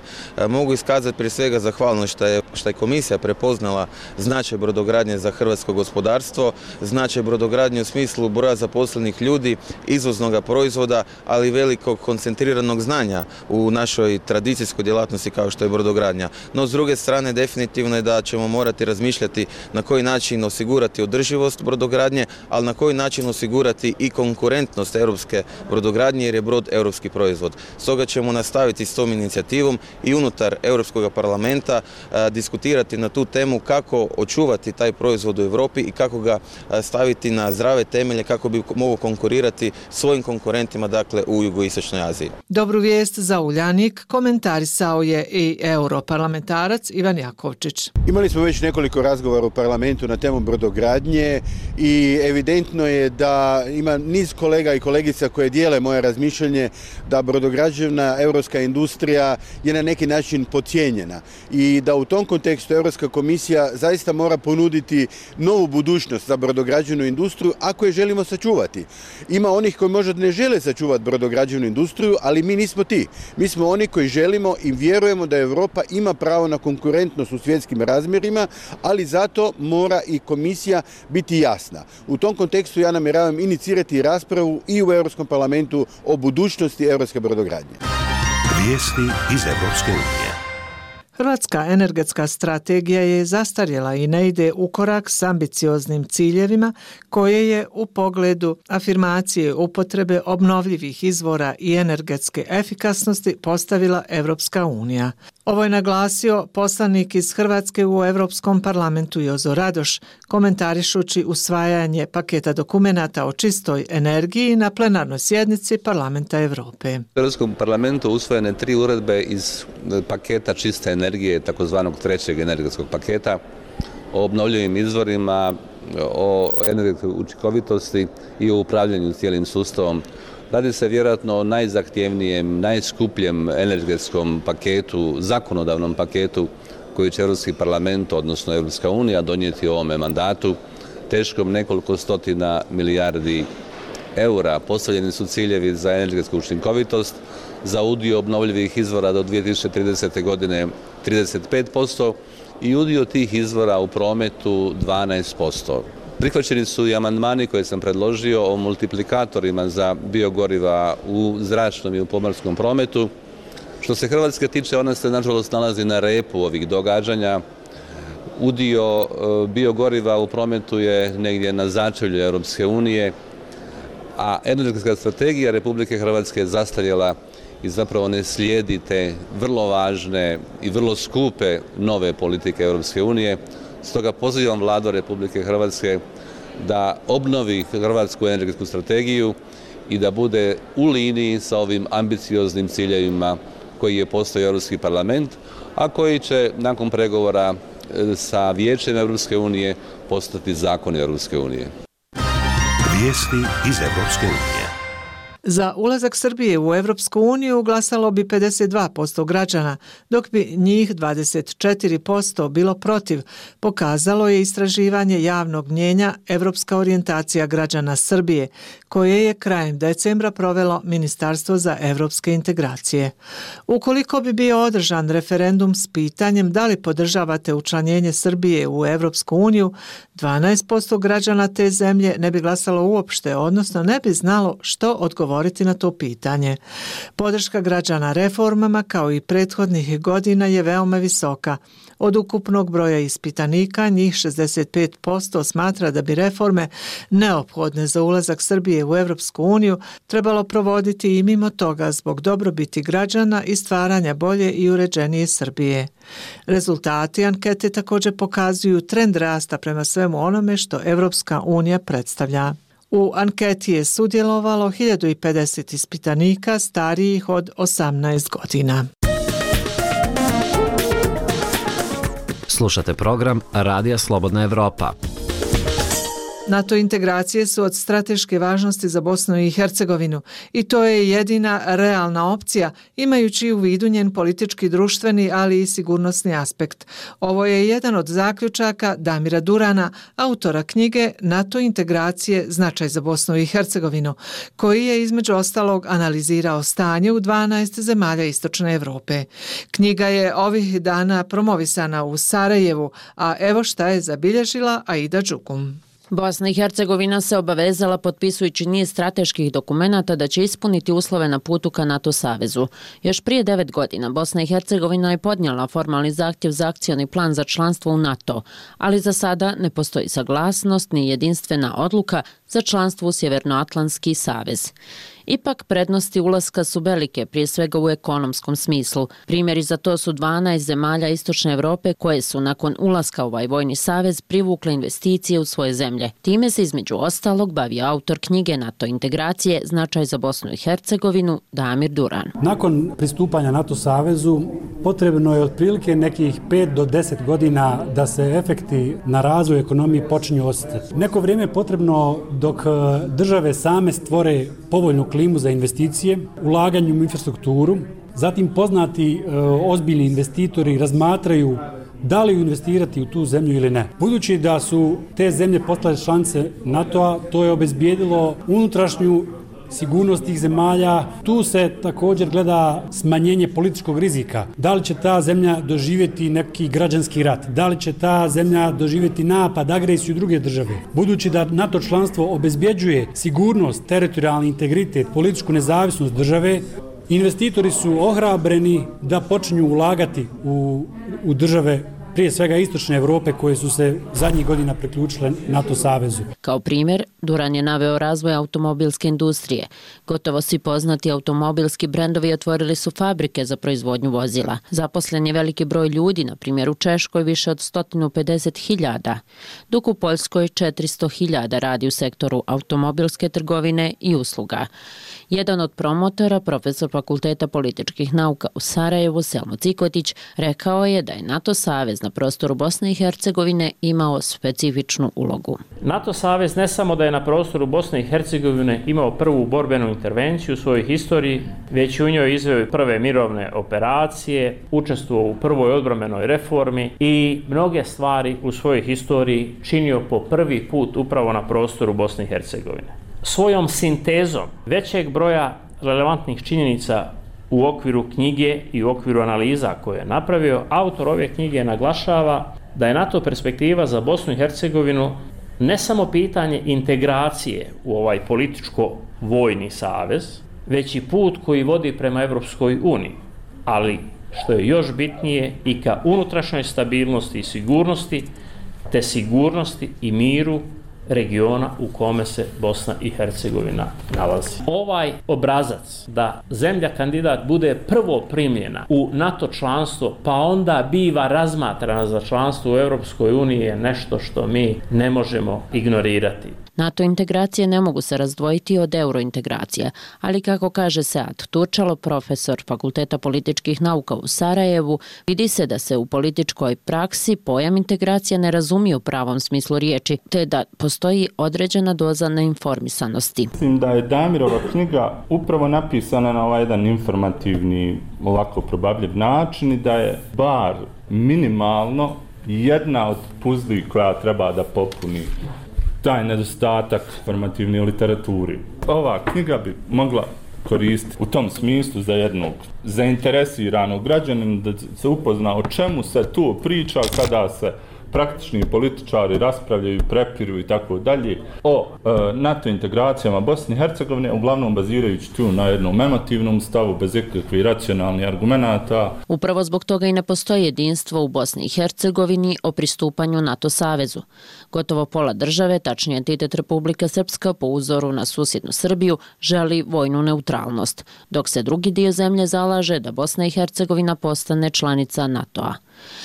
Mogu iskazati prije svega zahvalnost što je komisija prepoznala značaj brodogradnje za hrvatsko gospodarstvo, značaj brodogradnje u smislu broja zaposlenih ljudi, izvoznog proizvoda, ali i velikog koncentriranog znanja u našoj tradicijskoj djelatnosti kao što je brodogradnja. No, s druge strane, definitivno je da ćemo morati razmišljati na koji način osigurati održivost brodogradnje, ali na koji način osigurati i konkurentnost europske brodogradnje jer je brod europski proizvod. Stoga ćemo nastaviti s tom inicijativom i unutar Europskog parlamenta diskutirati na tu temu kako očuvati taj proizvod u Europi i kako ga staviti na zdrave temelje kako bi mogao konkurirati svojim konkurentima u jugoistočnoj Aziji. Dobru vijest za Uljanik komentarisao je i europarlamentarac Ivan Jakovčić. Imali smo već nekoliko razgovora u parlamentu na temu brodogradnje i evidentno je da ima niz kolega i kolegica koje dijele moje razmišljanje da brodograđevna europska industrija je na neki način podcijenjena i da u tom kontekstu Europska komisija zaista mora ponuditi novu budućnost za brodograđevnu industriju ako je želimo sačuvati. Ima onih koji možda ne žele sačuvati brodograđevnu industriju, ali mi nismo ti. Mi smo oni koji želimo i vjerujemo da Europa ima pravo na konkurentnost u svjetskim razmjerima, ali zato mora i komisija biti jasna. U tom kontekstu ja namjeravam inicirati raspravu i u Europskom parlamentu o budućnosti europske brodogradnje. Vijesti iz Europske unije. Hrvatska energetska strategija je zastarjela i ne ide u korak s ambicioznim ciljevima koje je u pogledu afirmacije upotrebe obnovljivih izvora i energetske efikasnosti postavila Europska unija. Ovo je naglasio poslanik iz Hrvatske u Europskom parlamentu Jozo Radoš, komentarišući usvajanje paketa dokumenata o čistoj energiji na plenarnoj sjednici Parlamenta Europe. U Europskom parlamentu usvojene 3 uredbe iz paketa čiste energije, takozvanog 3. energetskog paketa, o obnovljivim izvorima, o energetskoj učinkovitosti i o upravljanju cijelim sustavom. Radi se vjerojatno o najzahtjevnijem, najskupljem energetskom paketu, zakonodavnom paketu koji će Europski parlament, odnosno Europska unija, donijeti u ovome mandatu, teškom nekoliko stotina milijardi eura. Postavljeni su ciljevi za energetsku učinkovitost, za udio obnovljivih izvora do 2030. godine 35% i udio tih izvora u prometu 12%. Prihvaćeni su i amandmani koje sam predložio o multiplikatorima za biogoriva u zračnom i u pomorskom prometu. Što se Hrvatske tiče, ona se nažalost nalazi na repu ovih događanja. Udio biogoriva u prometu je negdje na začelju Europske unije, a energetska strategija Republike Hrvatske je zastarjela i zapravo ne slijedi te vrlo važne i vrlo skupe nove politike Europske unije. Stoga pozivam Vladu Republike Hrvatske da obnovi hrvatsku energetsku strategiju i da bude u liniji sa ovim ambicioznim ciljevima koji je postavio Europski parlament, a koji će nakon pregovora sa Vijećem Europske unije postati zakoni Europske unije. Vijesti iz Europske unije. Za ulazak Srbije u Europsku uniju glasalo bi 52% građana, dok bi njih 24% bilo protiv, pokazalo je istraživanje javnog mnijenja Europska orijentacija građana Srbije, koje je krajem decembra provelo Ministarstvo za europske integracije. Ukoliko bi bio održan referendum s pitanjem da li podržavate učlanjenje Srbije u Europsku uniju, 12% građana te zemlje ne bi glasalo uopšte, odnosno ne bi znalo što odgovoriti na to pitanje. Podrška građana reformama kao i prethodnih godina je veoma visoka. Od ukupnog broja ispitanika njih 65% smatra da bi reforme neophodne za ulazak Srbije u Europsku uniju trebalo provoditi i mimo toga zbog dobrobiti građana i stvaranja bolje i uređenije Srbije. Rezultati ankete također pokazuju trend rasta prema svemu onome što Europska unija predstavlja. U anketi je sudjelovalo 1050 ispitanika starijih od 18 godina. Slušate program Radija Slobodna Evropa. NATO integracije su od strateške važnosti za Bosnu i Hercegovinu i to je jedina realna opcija imajući u vidu njen politički, društveni, ali i sigurnosni aspekt. Ovo je jedan od zaključaka Damira Durana, autora knjige NATO integracije, značaj za Bosnu i Hercegovinu, koji je između ostalog analizirao stanje u 12 zemalja Istočne Evrope. Knjiga je ovih dana promovisana u Sarajevu, a evo šta je zabilježila Aida Đukum. Bosna i Hercegovina se obavezala potpisujući niz strateških dokumenata da će ispuniti uslove na putu ka NATO savezu. Još prije 9 godina Bosna i Hercegovina je podnijela formalni zahtjev za akcioni plan za članstvo u NATO, ali za sada ne postoji saglasnost ni jedinstvena odluka za članstvo u Sjevernoatlantski savez. Ipak prednosti ulaska su velike, prije svega u ekonomskom smislu. Primjeri za to su 12 zemalja Istočne Evrope koje su nakon ulaska u ovaj vojni savez privukle investicije u svoje zemlje. Time se između ostalog bavi autor knjige NATO integracije, značaj za Bosnu i Hercegovinu, Damir Duran. Nakon pristupanja NATO savezu potrebno je otprilike nekih 5 do 10 godina da se efekti na razvoj ekonomije počinju osjetiti. Neko vrijeme je potrebno dok države same stvore povoljnu klimu za investicije, ulaganju u infrastrukturu, zatim poznati ozbiljni investitori razmatraju da li investirati u tu zemlju ili ne. Budući da su te zemlje postale članice NATO-a, to je obezbijedilo unutrašnju sigurnost tih zemalja. Tu se također gleda smanjenje političkog rizika. Da li će ta zemlja doživjeti neki građanski rat? Da li će ta zemlja doživjeti napad, agresiju druge države? Budući da NATO članstvo obezbjeđuje sigurnost, teritorijalni integritet, političku nezavisnost države, investitori su ohrabreni da počinju ulagati u države prije svega istočne Europe koje su se zadnjih godina priključile NATO savezu. Kao primjer, Duran je naveo razvoj automobilske industrije. Gotovo svi poznati automobilski brendovi otvorili su fabrike za proizvodnju vozila. Zaposlen je veliki broj ljudi, na primjer u Češkoj više od 150.000, dok u Poljskoj 400.000 radi u sektoru automobilske trgovine i usluga. Jedan od promotora, profesor Fakulteta političkih nauka u Sarajevu, Selmo Cikotić, rekao je da je NATO savez na prostoru Bosne i Hercegovine imao specifičnu ulogu. NATO savez ne samo da je na prostoru Bosne i Hercegovine imao prvu borbenu intervenciju u svojoj historiji, već u njoj izveo prve mirovne operacije, učestvovao u prvoj odbrambenoj reformi i mnoge stvari u svojoj historiji činio po prvi put upravo na prostoru Bosne i Hercegovine. Svojom sintezom većeg broja relevantnih činjenica u okviru knjige i u okviru analiza koje je napravio, autor ove knjige naglašava da je NATO perspektiva za Bosnu i Hercegovinu ne samo pitanje integracije u ovaj političko-vojni savez, već i put koji vodi prema Evropskoj uniji, ali što je još bitnije i ka unutrašnjoj stabilnosti i sigurnosti, te sigurnosti i miru regiona u kome se Bosna i Hercegovina nalazi. Ovaj obrazac da zemlja kandidat bude prvo primljena u NATO članstvo, pa onda biva razmatrana za članstvo u Europskoj uniji je nešto što mi ne možemo ignorirati. NATO integracije ne mogu se razdvojiti od eurointegracije, ali kako kaže Sead Turčalo, profesor Fakulteta političkih nauka u Sarajevu, vidi se da se u političkoj praksi pojam integracija ne razumije u pravom smislu riječi, te da postoji određena doza neinformisanosti. Mislim da je Damirova knjiga upravo napisana na ovaj jedan informativni, ovako probabljiv način i da je bar minimalno jedna od puzli koja treba da popuni taj nedostatak informativne literaturi. Ova knjiga bi mogla koristiti u tom smislu za jednog zainteresiranog građanina da se upozna o čemu se tu priča kada se praktični političari raspravljaju, prepiru i tako dalje o NATO integracijama Bosne i Hercegovine, uglavnom bazirajući tu na jednom emotivnom stavu bez ikakvih racionalnih argumenata. Upravo zbog toga i ne postoji jedinstvo u Bosni i Hercegovini o pristupanju NATO savezu. Gotovo pola države, tačnije entitet Republika Srpska po uzoru na susjednu Srbiju, želi vojnu neutralnost, dok se drugi dio zemlje zalaže da Bosna i Hercegovina postane članica NATO-a.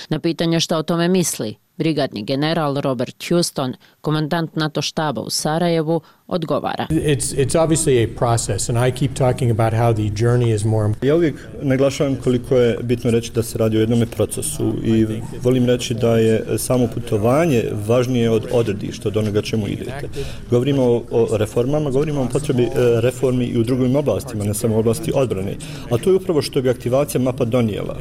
Na pitanje šta o tome misli, brigadni general Robert Houston, komandant NATO štaba u Sarajevu, odgovara. It's obviously a process and I keep talking about how the journey is more. Ja uvijek naglašavam koliko je bitno reći da se radi o jednom procesu i volim reći da je samo putovanje važnije od odredišta, od onoga čemu idete. Govorimo o reformama, govorimo o potrebi reformi i u drugim oblastima, ne samo u oblasti odbrane. A to je upravo što bi aktivacija MAPA donijela.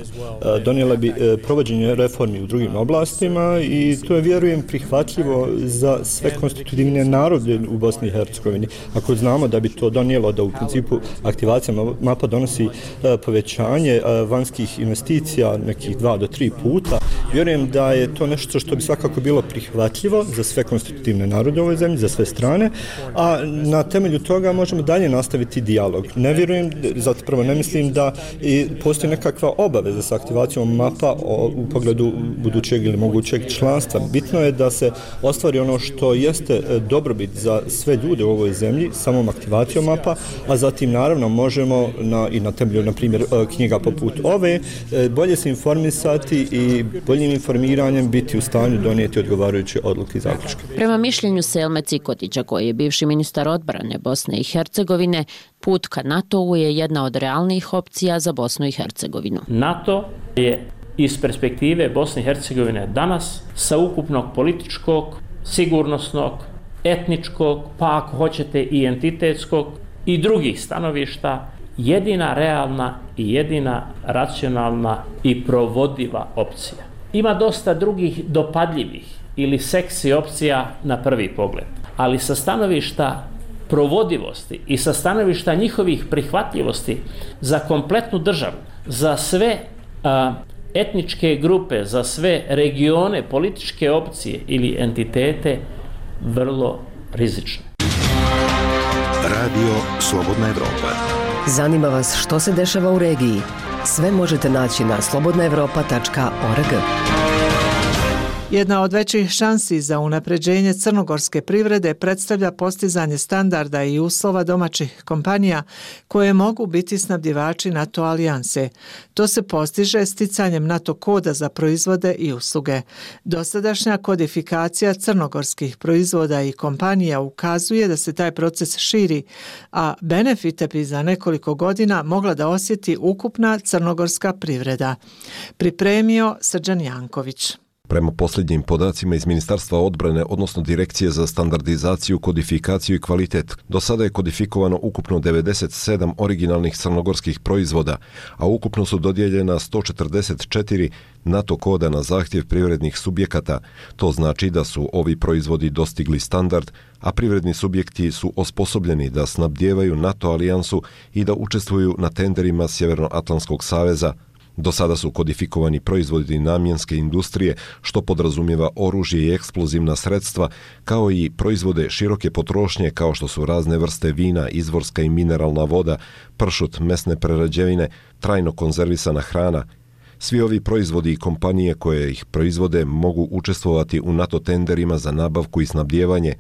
Donijela bi provođenje reformi u drugim oblastima i to je, vjerujem, prihvatljivo za sve konstitutivne narode u Bosni i Hercegovini. Ako znamo da bi to donijelo da u principu aktivacija MAPA donosi povećanje vanjskih investicija nekih 2 do 3 puta, vjerujem da je to nešto što bi svakako bilo prihvatljivo za sve konstitutivne narode u ovoj zemlji, za sve strane, a na temelju toga možemo dalje nastaviti dijalog. Ne vjerujem, zapravo ne mislim da postoji nekakva obaveza sa aktivacijom MAPA u pogledu budućeg ili mogućeg članstva. Bitno je da se ostvari ono što jeste dobrobit za sve ljude u ovoj zemlji, samom aktivacijom MAPA, a zatim naravno možemo i na temelju, na primjer, knjiga poput ove, bolje se informisati i boljim informiranjem biti u stanju donijeti odgovarajuće odluke i zaključke. Prema mišljenju Selme Cikotića, koji je bivši ministar odbrane Bosne i Hercegovine, put ka NATO-u je jedna od realnijih opcija za Bosnu i Hercegovinu. NATO je iz perspektive Bosne i Hercegovine danas sa ukupnog političkog, sigurnosnog, etničkog, pa ako hoćete i entitetskog i drugih stanovišta, jedina realna i jedina racionalna i provodiva opcija. Ima dosta drugih dopadljivih ili seksi opcija na prvi pogled, ali sa stanovišta provodivosti i sa stanovišta njihovih prihvatljivosti za kompletnu državu, za sve etničke grupe, za sve regione, političke opcije ili entitete, vrlo rizično. Radio Slobodna Evropa. Zanima vas što se dešava u regiji? Sve možete naći na slobodnaevropa.org. Jedna od većih šansi za unapređenje crnogorske privrede predstavlja postizanje standarda i uslova domaćih kompanija koje mogu biti snabdjevači NATO alijanse. To se postiže sticanjem NATO koda za proizvode i usluge. Dosadašnja kodifikacija crnogorskih proizvoda i kompanija ukazuje da se taj proces širi, a benefite bi za nekoliko godina mogla da osjeti ukupna crnogorska privreda. Pripremio Srđan Janković. Prema posljednjim podacima iz Ministarstva odbrane, odnosno Direkcije za standardizaciju, kodifikaciju i kvalitet, do sada je kodifikovano ukupno 97 originalnih crnogorskih proizvoda, a ukupno su dodijeljena 144 NATO koda na zahtjev privrednih subjekata. To znači da su ovi proizvodi dostigli standard, a privredni subjekti su osposobljeni da snabdijevaju NATO alijansu i da učestvuju na tenderima Sjevernoatlantskog saveza. Do sada su kodifikovani proizvodi namjenske industrije, što podrazumijeva oružje i eksplozivna sredstva, kao i proizvode široke potrošnje kao što su razne vrste vina, izvorska i mineralna voda, pršut, mesne prerađevine, trajno konzervisana hrana. Svi ovi proizvodi i kompanije koje ih proizvode mogu učestvovati u NATO tenderima za nabavku i snabdijevanje.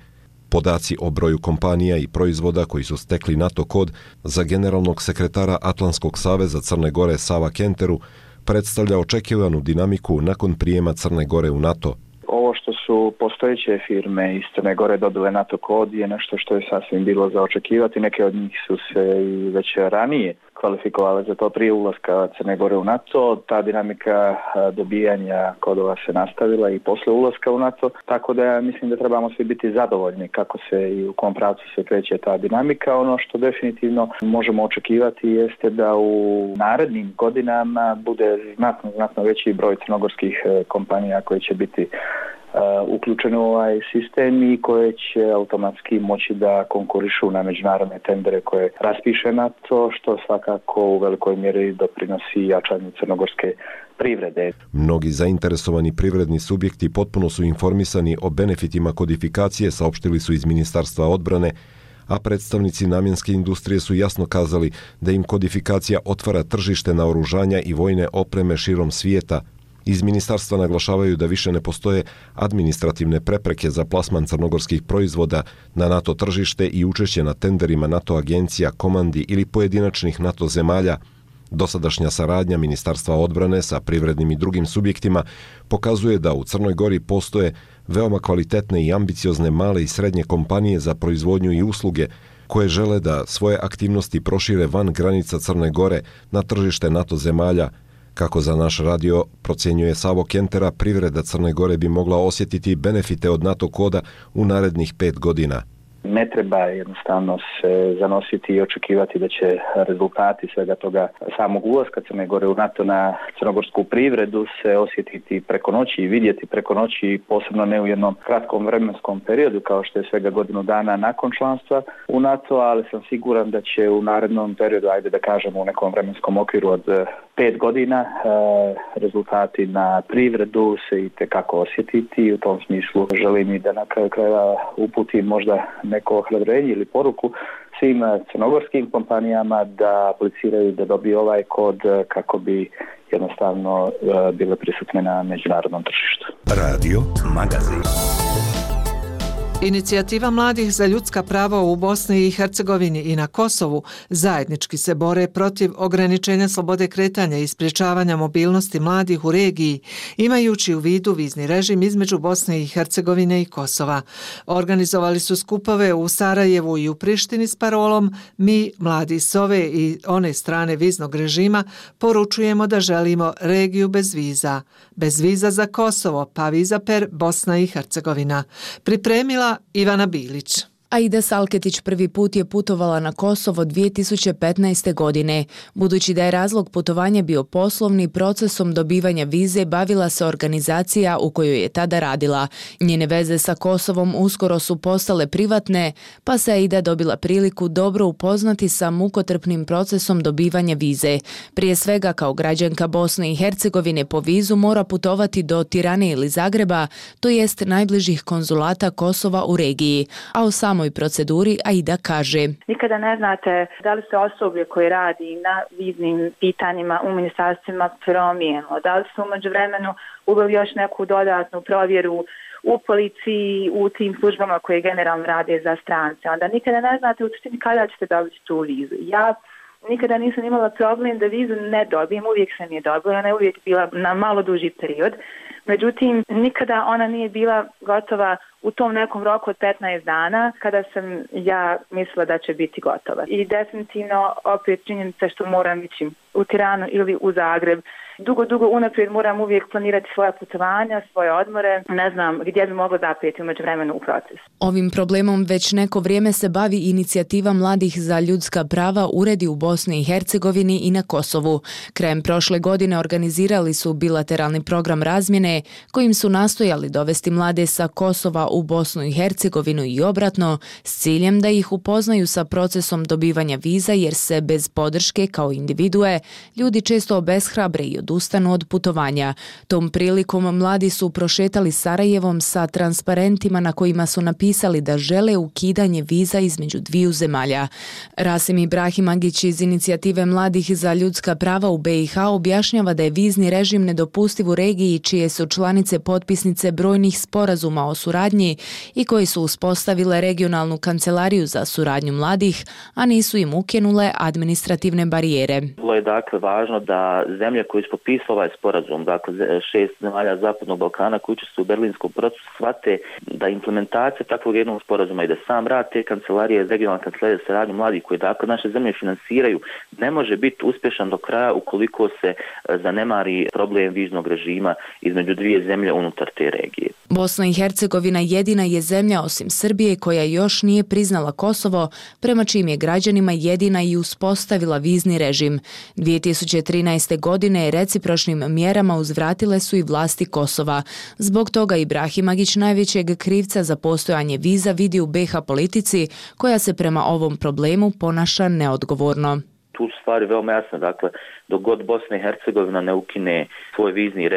Podaci o broju kompanija i proizvoda koji su stekli NATO kod za generalnog sekretara Atlantskog saveza Crne Gore Sava Kenteru predstavlja očekivanu dinamiku nakon prijema Crne Gore u NATO. Ovo što su postojeće firme iz Crne Gore dobile NATO kod je nešto što je sasvim bilo za očekivati. Neke od njih su se i već ranije kvalifikovale za to prije ulaska Crne Gore u NATO. Ta dinamika dobijanja kodova se nastavila i posle ulaska u NATO, tako da ja mislim da trebamo svi biti zadovoljni kako se i u kom pravcu se kreće ta dinamika. Ono što definitivno možemo očekivati jeste da u narednim godinama bude znatno veći broj crnogorskih kompanija koje će biti uključeni u ovaj sistem i koje će automatski moći da konkurišu na međunarodne tendere koje raspiše NATO, što svakako u velikoj mjeri doprinosi jačanju crnogorske privrede. Mnogi zainteresovani privredni subjekti potpuno su informisani o benefitima kodifikacije, saopštili su iz Ministarstva odbrane, a predstavnici namjenske industrije su jasno kazali da im kodifikacija otvara tržište naoružanja i vojne opreme širom svijeta. Iz ministarstva naglašavaju da više ne postoje administrativne prepreke za plasman crnogorskih proizvoda na NATO tržište i učešće na tenderima NATO agencija, komandi ili pojedinačnih NATO zemalja. Dosadašnja saradnja Ministarstva odbrane sa privrednim i drugim subjektima pokazuje da u Crnoj Gori postoje veoma kvalitetne i ambiciozne male i srednje kompanije za proizvodnju i usluge koje žele da svoje aktivnosti prošire van granica Crne Gore na tržište NATO zemalja. Kako za naš radio procjenjuje Savo Kentera, privreda Crne Gore bi mogla osjetiti benefite od NATO koda u narednih 5 godina. Ne treba jednostavno se zanositi i očekivati da će rezultati svega toga samog ulaska Crne Gore u NATO na crnogorsku privredu se osjetiti preko noći i vidjeti preko noći, posebno ne u jednom kratkom vremenskom periodu kao što je svega godinu dana nakon članstva u NATO, ali sam siguran da će u narednom periodu, ajde da kažemo u nekom vremenskom okviru od 5 godina, rezultati na privredu se i tekako osjetiti i u tom smislu želim i da na kraju krajeva uputim možda neko ohrabrenje ili poruku svim crnogorskim kompanijama da apliciraju da dobiju ovaj kod kako bi jednostavno bile prisutne na međunarodnom tržištu. Radio Magazin. Inicijativa mladih za ljudska prava u Bosni i Hercegovini i na Kosovu zajednički se bore protiv ograničenja slobode kretanja i sprječavanja mobilnosti mladih u regiji, imajući u vidu vizni režim između Bosne i Hercegovine i Kosova. Organizovali su skupove u Sarajevu i u Prištini s parolom "Mi, mladi s ove i one strane viznog režima, poručujemo da želimo regiju bez viza. Bez viza za Kosovo, pa viza per Bosna i Hercegovina." Pripremila Ivana Bilić. Aida Salketić prvi put je putovala na Kosovo 2015. godine. Budući da je razlog putovanja bio poslovni, procesom dobivanja vize bavila se organizacija u kojoj je tada radila. Njene veze sa Kosovom uskoro su postale privatne, pa se Aida dobila priliku dobro upoznati sa mukotrpnim procesom dobivanja vize. Prije svega, kao građanka Bosne i Hercegovine po vizu mora putovati do Tirane ili Zagreba, to jest najbližih konzulata Kosova u regiji, a o samoj proceduri Aida kaže: nikada ne znate da li se osoblje koje radi na viznim pitanjima u ministarstvima promijenilo, da li su u međuvremenu uveli još neku dodatnu provjeru u policiji, u tim službama koje generalno rade za strance. Onda nikada ne znate u suštini kada ćete dobiti tu vizu. Ja nikada nisam imala problem da vizu ne dobijem, uvijek sam je dobila, ona je uvijek bila na malo duži period. Međutim, nikada ona nije bila gotova u tom nekom roku od 15 dana kada sam ja mislila da će biti gotova. I definitivno opet činjenica što moram ići u Tiranu ili u Zagreb. Dugo unaprijed moram uvijek planirati svoja putovanja, svoje odmore. Ne znam gdje bi moglo zapeti u međuvremenu u proces. Ovim problemom već neko vrijeme se bavi inicijativa mladih za ljudska prava uredi u Bosni i Hercegovini i na Kosovu. Krajem prošle godine organizirali su bilateralni program razmjene kojim su nastojali dovesti mlade sa Kosova u Bosnu i Hercegovinu i obratno s ciljem da ih upoznaju sa procesom dobivanja viza jer se bez podrške kao individue ljudi često obeshrabre i odustanu od putovanja. Tom prilikom mladi su prošetali Sarajevom sa transparentima na kojima su napisali da žele ukidanje viza između dviju zemalja. Rasim Ibrahimagić iz inicijative mladih za ljudska prava u BiH objašnjava da je vizni režim nedopustiv u regiji čije su članice potpisnice brojnih sporazuma o suradnji i koji su uspostavile regionalnu kancelariju za suradnju mladih, a nisu im ukinule administrativne barijere. Bilo je dakle važno da zemlje koje su potpisale ovaj sporazum, dakle 6 zemalja Zapadnog Balkana koji učestvuju u berlinskom procesu, shvate da implementacija takvog jednog sporazuma i da sam rad te kancelarije, regionalne kancelarije za suradnju mladih koje dakle naše zemlje finansiraju, ne može biti uspješan do kraja ukoliko se zanemari problem viznog režima između dvije zemlje unutar te regije. Bosna i Hercegovina jedina je zemlja osim Srbije koja još nije priznala Kosovo, prema čijim je građanima jedina i uspostavila vizni režim. 2013. godine recipročnim mjerama uzvratile su i vlasti Kosova. Zbog toga Ibrahimagić najvećeg krivca za postojanje viza vidi u BiH politici koja se prema ovom problemu ponaša neodgovorno. Tu su stvari veoma jasne, dakle, dok god Bosna i Hercegovina ne ukine svoj vizni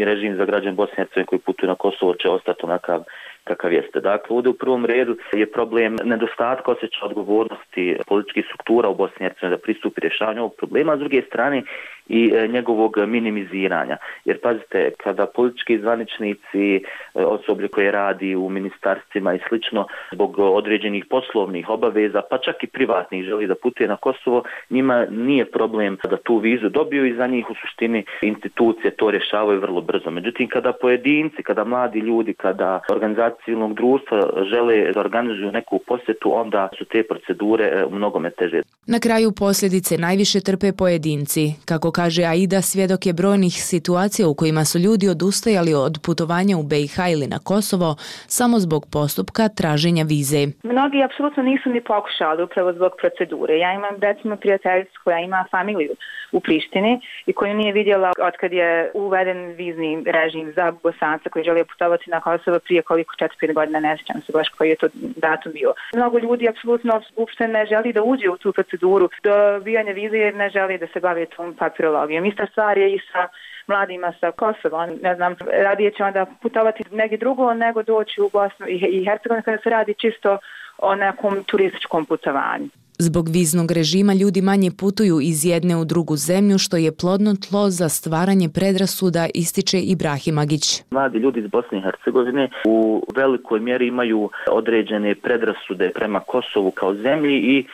režim za građane Bosne i Hercegovine koji putuju na Kosovo će ostati onakav kakav jeste. Dakle, ovdje u prvom redu je problem nedostatka osjećaja odgovornosti političkih struktura u Bosni i Hercegovini da pristupi rješavanju ovog problema, a s druge strane i njegovog minimiziranja. Jer pazite, kada politički zvaničnici, osoblje koje radi u ministarstvima i slično, zbog određenih poslovnih obaveza, pa čak i privatnih želi da putuje na Kosovo, njima nije problem da tu vizu dobiju i za njih u suštini institucije to rješavaju vrlo brzo. Međutim, kada pojedinci, kada mladi ljudi, kada organizacije civilnog društva žele da organizuju neku posjetu, onda su te procedure mnogome teže. Na kraju posljedice najviše trpe pojedinci. Kako kaže Aida, svjedok je brojnih situacija u kojima su ljudi odustajali od putovanja u BiH ili na Kosovo samo zbog postupka traženja vize. Mnogi apsolutno nisu ni pokušali upravo zbog procedure. Ja imam recimo prijateljicu koja ima familiju u Prištini i koju nije vidjela otkad je uveden vizni režim za Bosanca koji žele putovati na Kosovo prije koliko 4-5 godina, ne sjećam se baš koji je to datum bio. Mnogo ljudi apsolutno uopšte ne želi da uđe u tu proceduru dobijanja vize jer ne želi da se bavi tom papirologijom. Ista stvar je i sa mladima sa Kosova. Ne znam, radije će onda putovati negdje drugo nego doći u Bosnu i Hercegovinu kada se radi čisto o nekom turističkom putovanju. Zbog viznog režima ljudi manje putuju iz jedne u drugu zemlju, što je plodno tlo za stvaranje predrasuda, ističe Ibrahimagić. Mladi ljudi iz Bosne i Hercegovine u velikoj mjeri imaju određene predrasude prema Kosovu kao zemlji i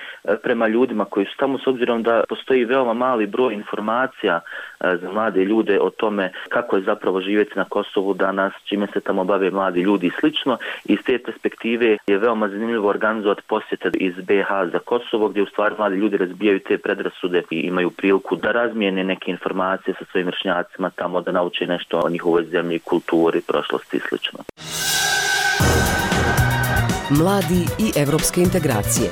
prema ljudima koji su tamo, s obzirom da postoji veoma mali broj informacija za mlade ljude o tome kako je zapravo živjeti na Kosovu danas, čime se tamo bave mladi ljudi i slično. Iz te perspektive je veoma zanimljivo organizovati posjete iz BiH za Kosovo, gdje u stvari mladi ljudi razbijaju te predrasude i imaju priliku da razmijene neke informacije sa svojim vršnjacima tamo, da nauče nešto o njihovoj zemlji, kulturi, prošlosti i slično. Mladi i evropske integracije.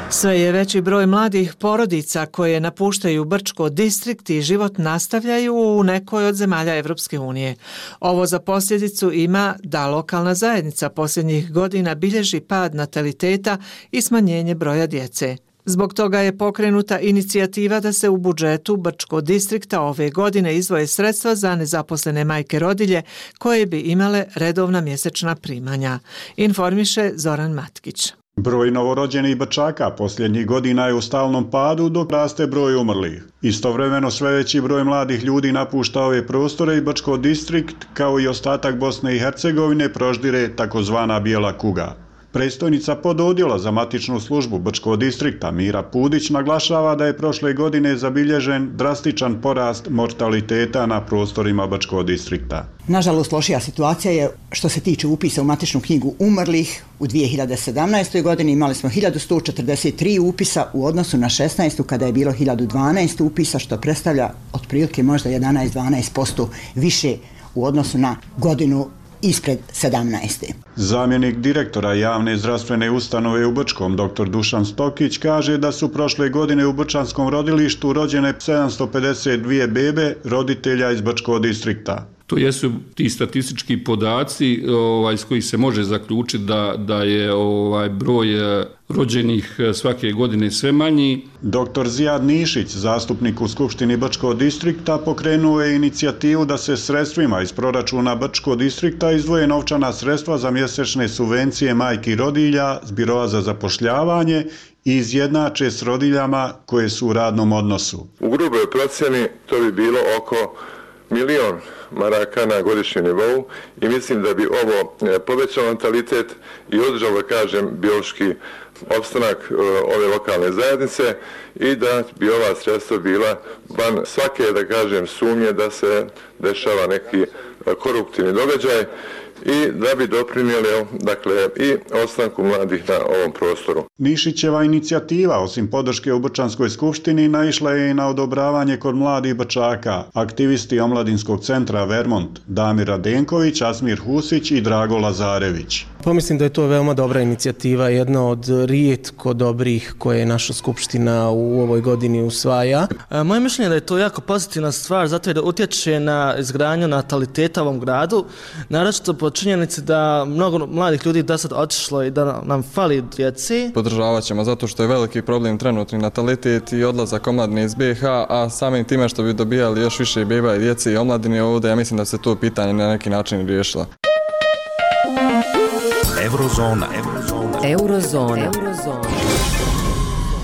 Sve je veći broj mladih porodica koje napuštaju Brčko distrikt i život nastavljaju u nekoj od zemalja Evropske unije. Ovo za posljedicu ima da lokalna zajednica posljednjih godina bilježi pad nataliteta i smanjenje broja djece. Zbog toga je pokrenuta inicijativa da se u budžetu Brčko distrikta ove godine izdvoje sredstva za nezaposlene majke rodilje koje bi imale redovna mjesečna primanja. Informiše Zoran Matkić. Broj novorođenih Brčaka posljednjih godina je u stalnom padu dok raste broj umrlih. Istovremeno sve veći broj mladih ljudi napušta ove prostore i Brčko distrikt kao i ostatak Bosne i Hercegovine proždire takozvana bijela kuga. Predstojnica pododjela za matičnu službu Brčkog distrikta Mira Pudić naglašava da je prošle godine zabilježen drastičan porast mortaliteta na prostorima Brčkog distrikta. Nažalost, lošija situacija je što se tiče upisa u matičnu knjigu umrlih. U 2017. godini imali smo 1143 upisa u odnosu na 16. kada je bilo 1012 upisa, što predstavlja otprilike možda 11-12% više u odnosu na godinu ispred 17. Zamjenik direktora javne zdravstvene ustanove u Brčkom, dr. Dušan Stokić, kaže da su prošle godine u Brčanskom rodilištu rođene 752 bebe roditelja iz Brčkog distrikta. To jesu ti statistički podaci iz kojih se može zaključiti da je broj rođenih svake godine sve manji. Dr. Zijad Nišić, zastupnik u Skupštini Brčkog distrikta, pokrenuo je inicijativu da se sredstvima iz proračuna Brčkog distrikta izdvoje novčana sredstva za mjesečne subvencije majki rodilja s Biroa za zapošljavanje i izjednače s rodiljama koje su u radnom odnosu. U gruboj procjeni to bi bilo oko 1.000.000 maraka na godišnjem nivou i mislim da bi ovo povećao natalitet i održalo, biološki opstanak ove lokalne zajednice i da bi ova sredstva bila van svake, sumnje da se dešava neki koruptivni događaj i da bi doprinijeli i ostanku mladih na ovom prostoru. Nišićeva inicijativa, osim podrške u Brčanskoj skupštini, naišla je i na odobravanje kod mladih Brčaka. Aktivisti Omladinskog centra Vermont, Damir Radenković, Asmir Husić i Drago Lazarević. Mislim da je to veoma dobra inicijativa, jedna od rijetko dobrih koje naša skupština u ovoj godini usvaja. Moje mišljenje je da je to jako pozitivna stvar, zato je da utječe na izgradnju nataliteta u ovom gradu, naročito po činjenici da mnogo mladih ljudi do sad otišlo i da nam fali djeci. Podržavat ćemo zato što je veliki problem trenutni natalitet i odlazak omladine iz BiH, a samim time što bi dobijali još više beba i djece i omladine ovdje, ja mislim da se to pitanje na neki način riješilo. Eurozona.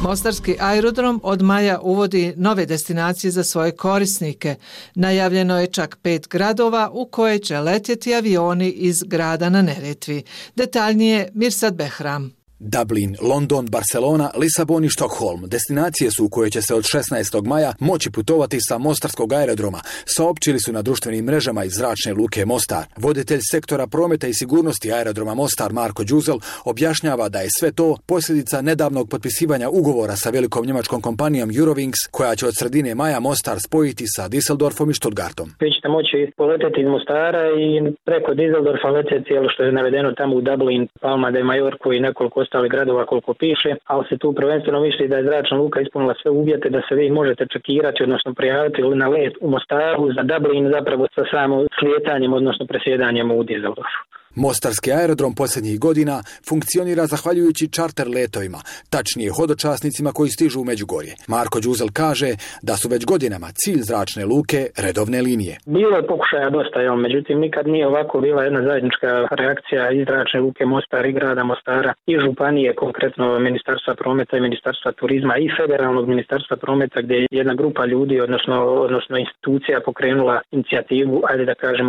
Mostarski aerodrom od maja uvodi nove destinacije za svoje korisnike. Najavljeno je čak 5 gradova u koje će letjeti avioni iz grada na Neretvi. Detaljnije Mirsad Behram. Dublin, London, Barcelona, Lisabon i Štokholm destinacije su u koje će se od 16. maja moći putovati sa mostarskog aerodroma, saopćili su na društvenim mrežama iz zračne luke Mostar. Voditelj sektora prometa i sigurnosti aerodroma Mostar Marko Đuzel objašnjava da je sve to posljedica nedavnog potpisivanja ugovora sa velikom njemačkom kompanijom Eurowings, koja će od sredine maja Mostar spojiti sa Düsseldorfom i Stuttgartom. Vi ćete moći poleteti iz Mostara i preko Düsseldorfa letjeti cijelo što je navedeno tamo u Dublin, Palma de Majorku i nekoliko ostalih gradova koliko piše, ali se tu prvenstveno misli da je zračna luka ispunila sve uvjete da se vi možete čekirati, odnosno prijaviti na let u Mostaru za Dublin zapravo sa samo slijetanjem, odnosno presjedanjem u Düsseldorfu. Mostarski aerodrom posljednjih godina funkcionira zahvaljujući čarter letovima, tačnije hodočasnicima koji stižu u Međugorje. Marko Đuzel kaže da su već godinama cilj zračne luke redovne linije. Bilo je pokušaja dosta, međutim nikad nije ovako bila jedna zajednička reakcija iz zračne luke Mostar i grada Mostara i županije, konkretno Ministarstva prometa i Ministarstva turizma i Federalnog Ministarstva prometa, gdje je jedna grupa ljudi, odnosno institucija pokrenula inicijativu,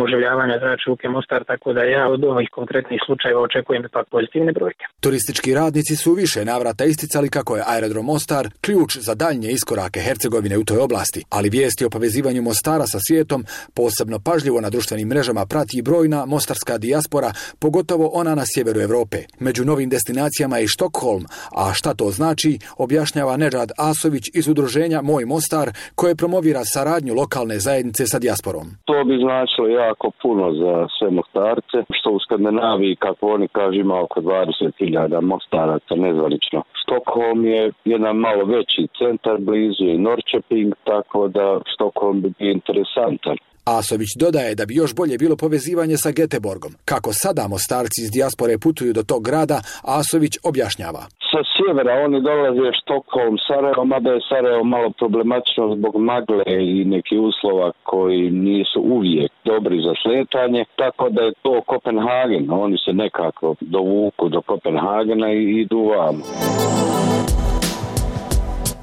oživljavanja zračne luke Mostar, tako da ja od ovih konkretnih slučajeva očekujem ipak pozitivne brojke. Turistički radnici su više navrata isticali kako je aerodrom Mostar ključ za daljnje iskorake Hercegovine u toj oblasti, ali vijesti o povezivanju Mostara sa svijetom posebno pažljivo na društvenim mrežama prati i brojna mostarska dijaspora, pogotovo ona na sjeveru Europe. Među novim destinacijama je i Štokholm, a šta to znači, objašnjava Nedžad Asović iz udruženja Moj Mostar, koje promovira saradnju lokalne zajednice sa dijasporom. To bi značilo jako puno za sve Mostarce, što u Skandinaviji, kako oni kažu, ima oko 20.000 mostaraca nezvanično. Stockholm je jedan malo veći centar, blizu je Norrköping, tako da Stockholm bi bio interesantan. Asović dodaje da bi još bolje bilo povezivanje sa Göteborgom. Kako sada Mostarci iz dijaspore putuju do tog grada, Asović objašnjava. Sa sjevera oni dolaze Stockholm, Sarajevo, mada je Sarajevo malo problematično zbog magle i nekih uslova koji nisu uvijek dobri za sletanje, tako da je to Kopenhagen. Oni se nekako dovuku do Kopenhagena i idu vamo.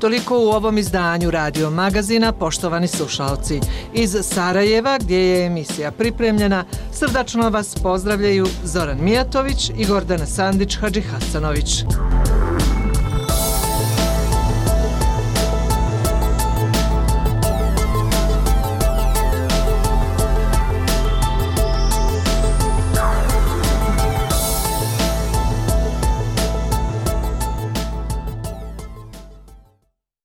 Toliko u ovom izdanju Radio Magazina, poštovani slušalci. Iz Sarajeva, gdje je emisija pripremljena, srdačno vas pozdravljaju Zoran Mijatović i Gordana Sandić-Hadžihasanović.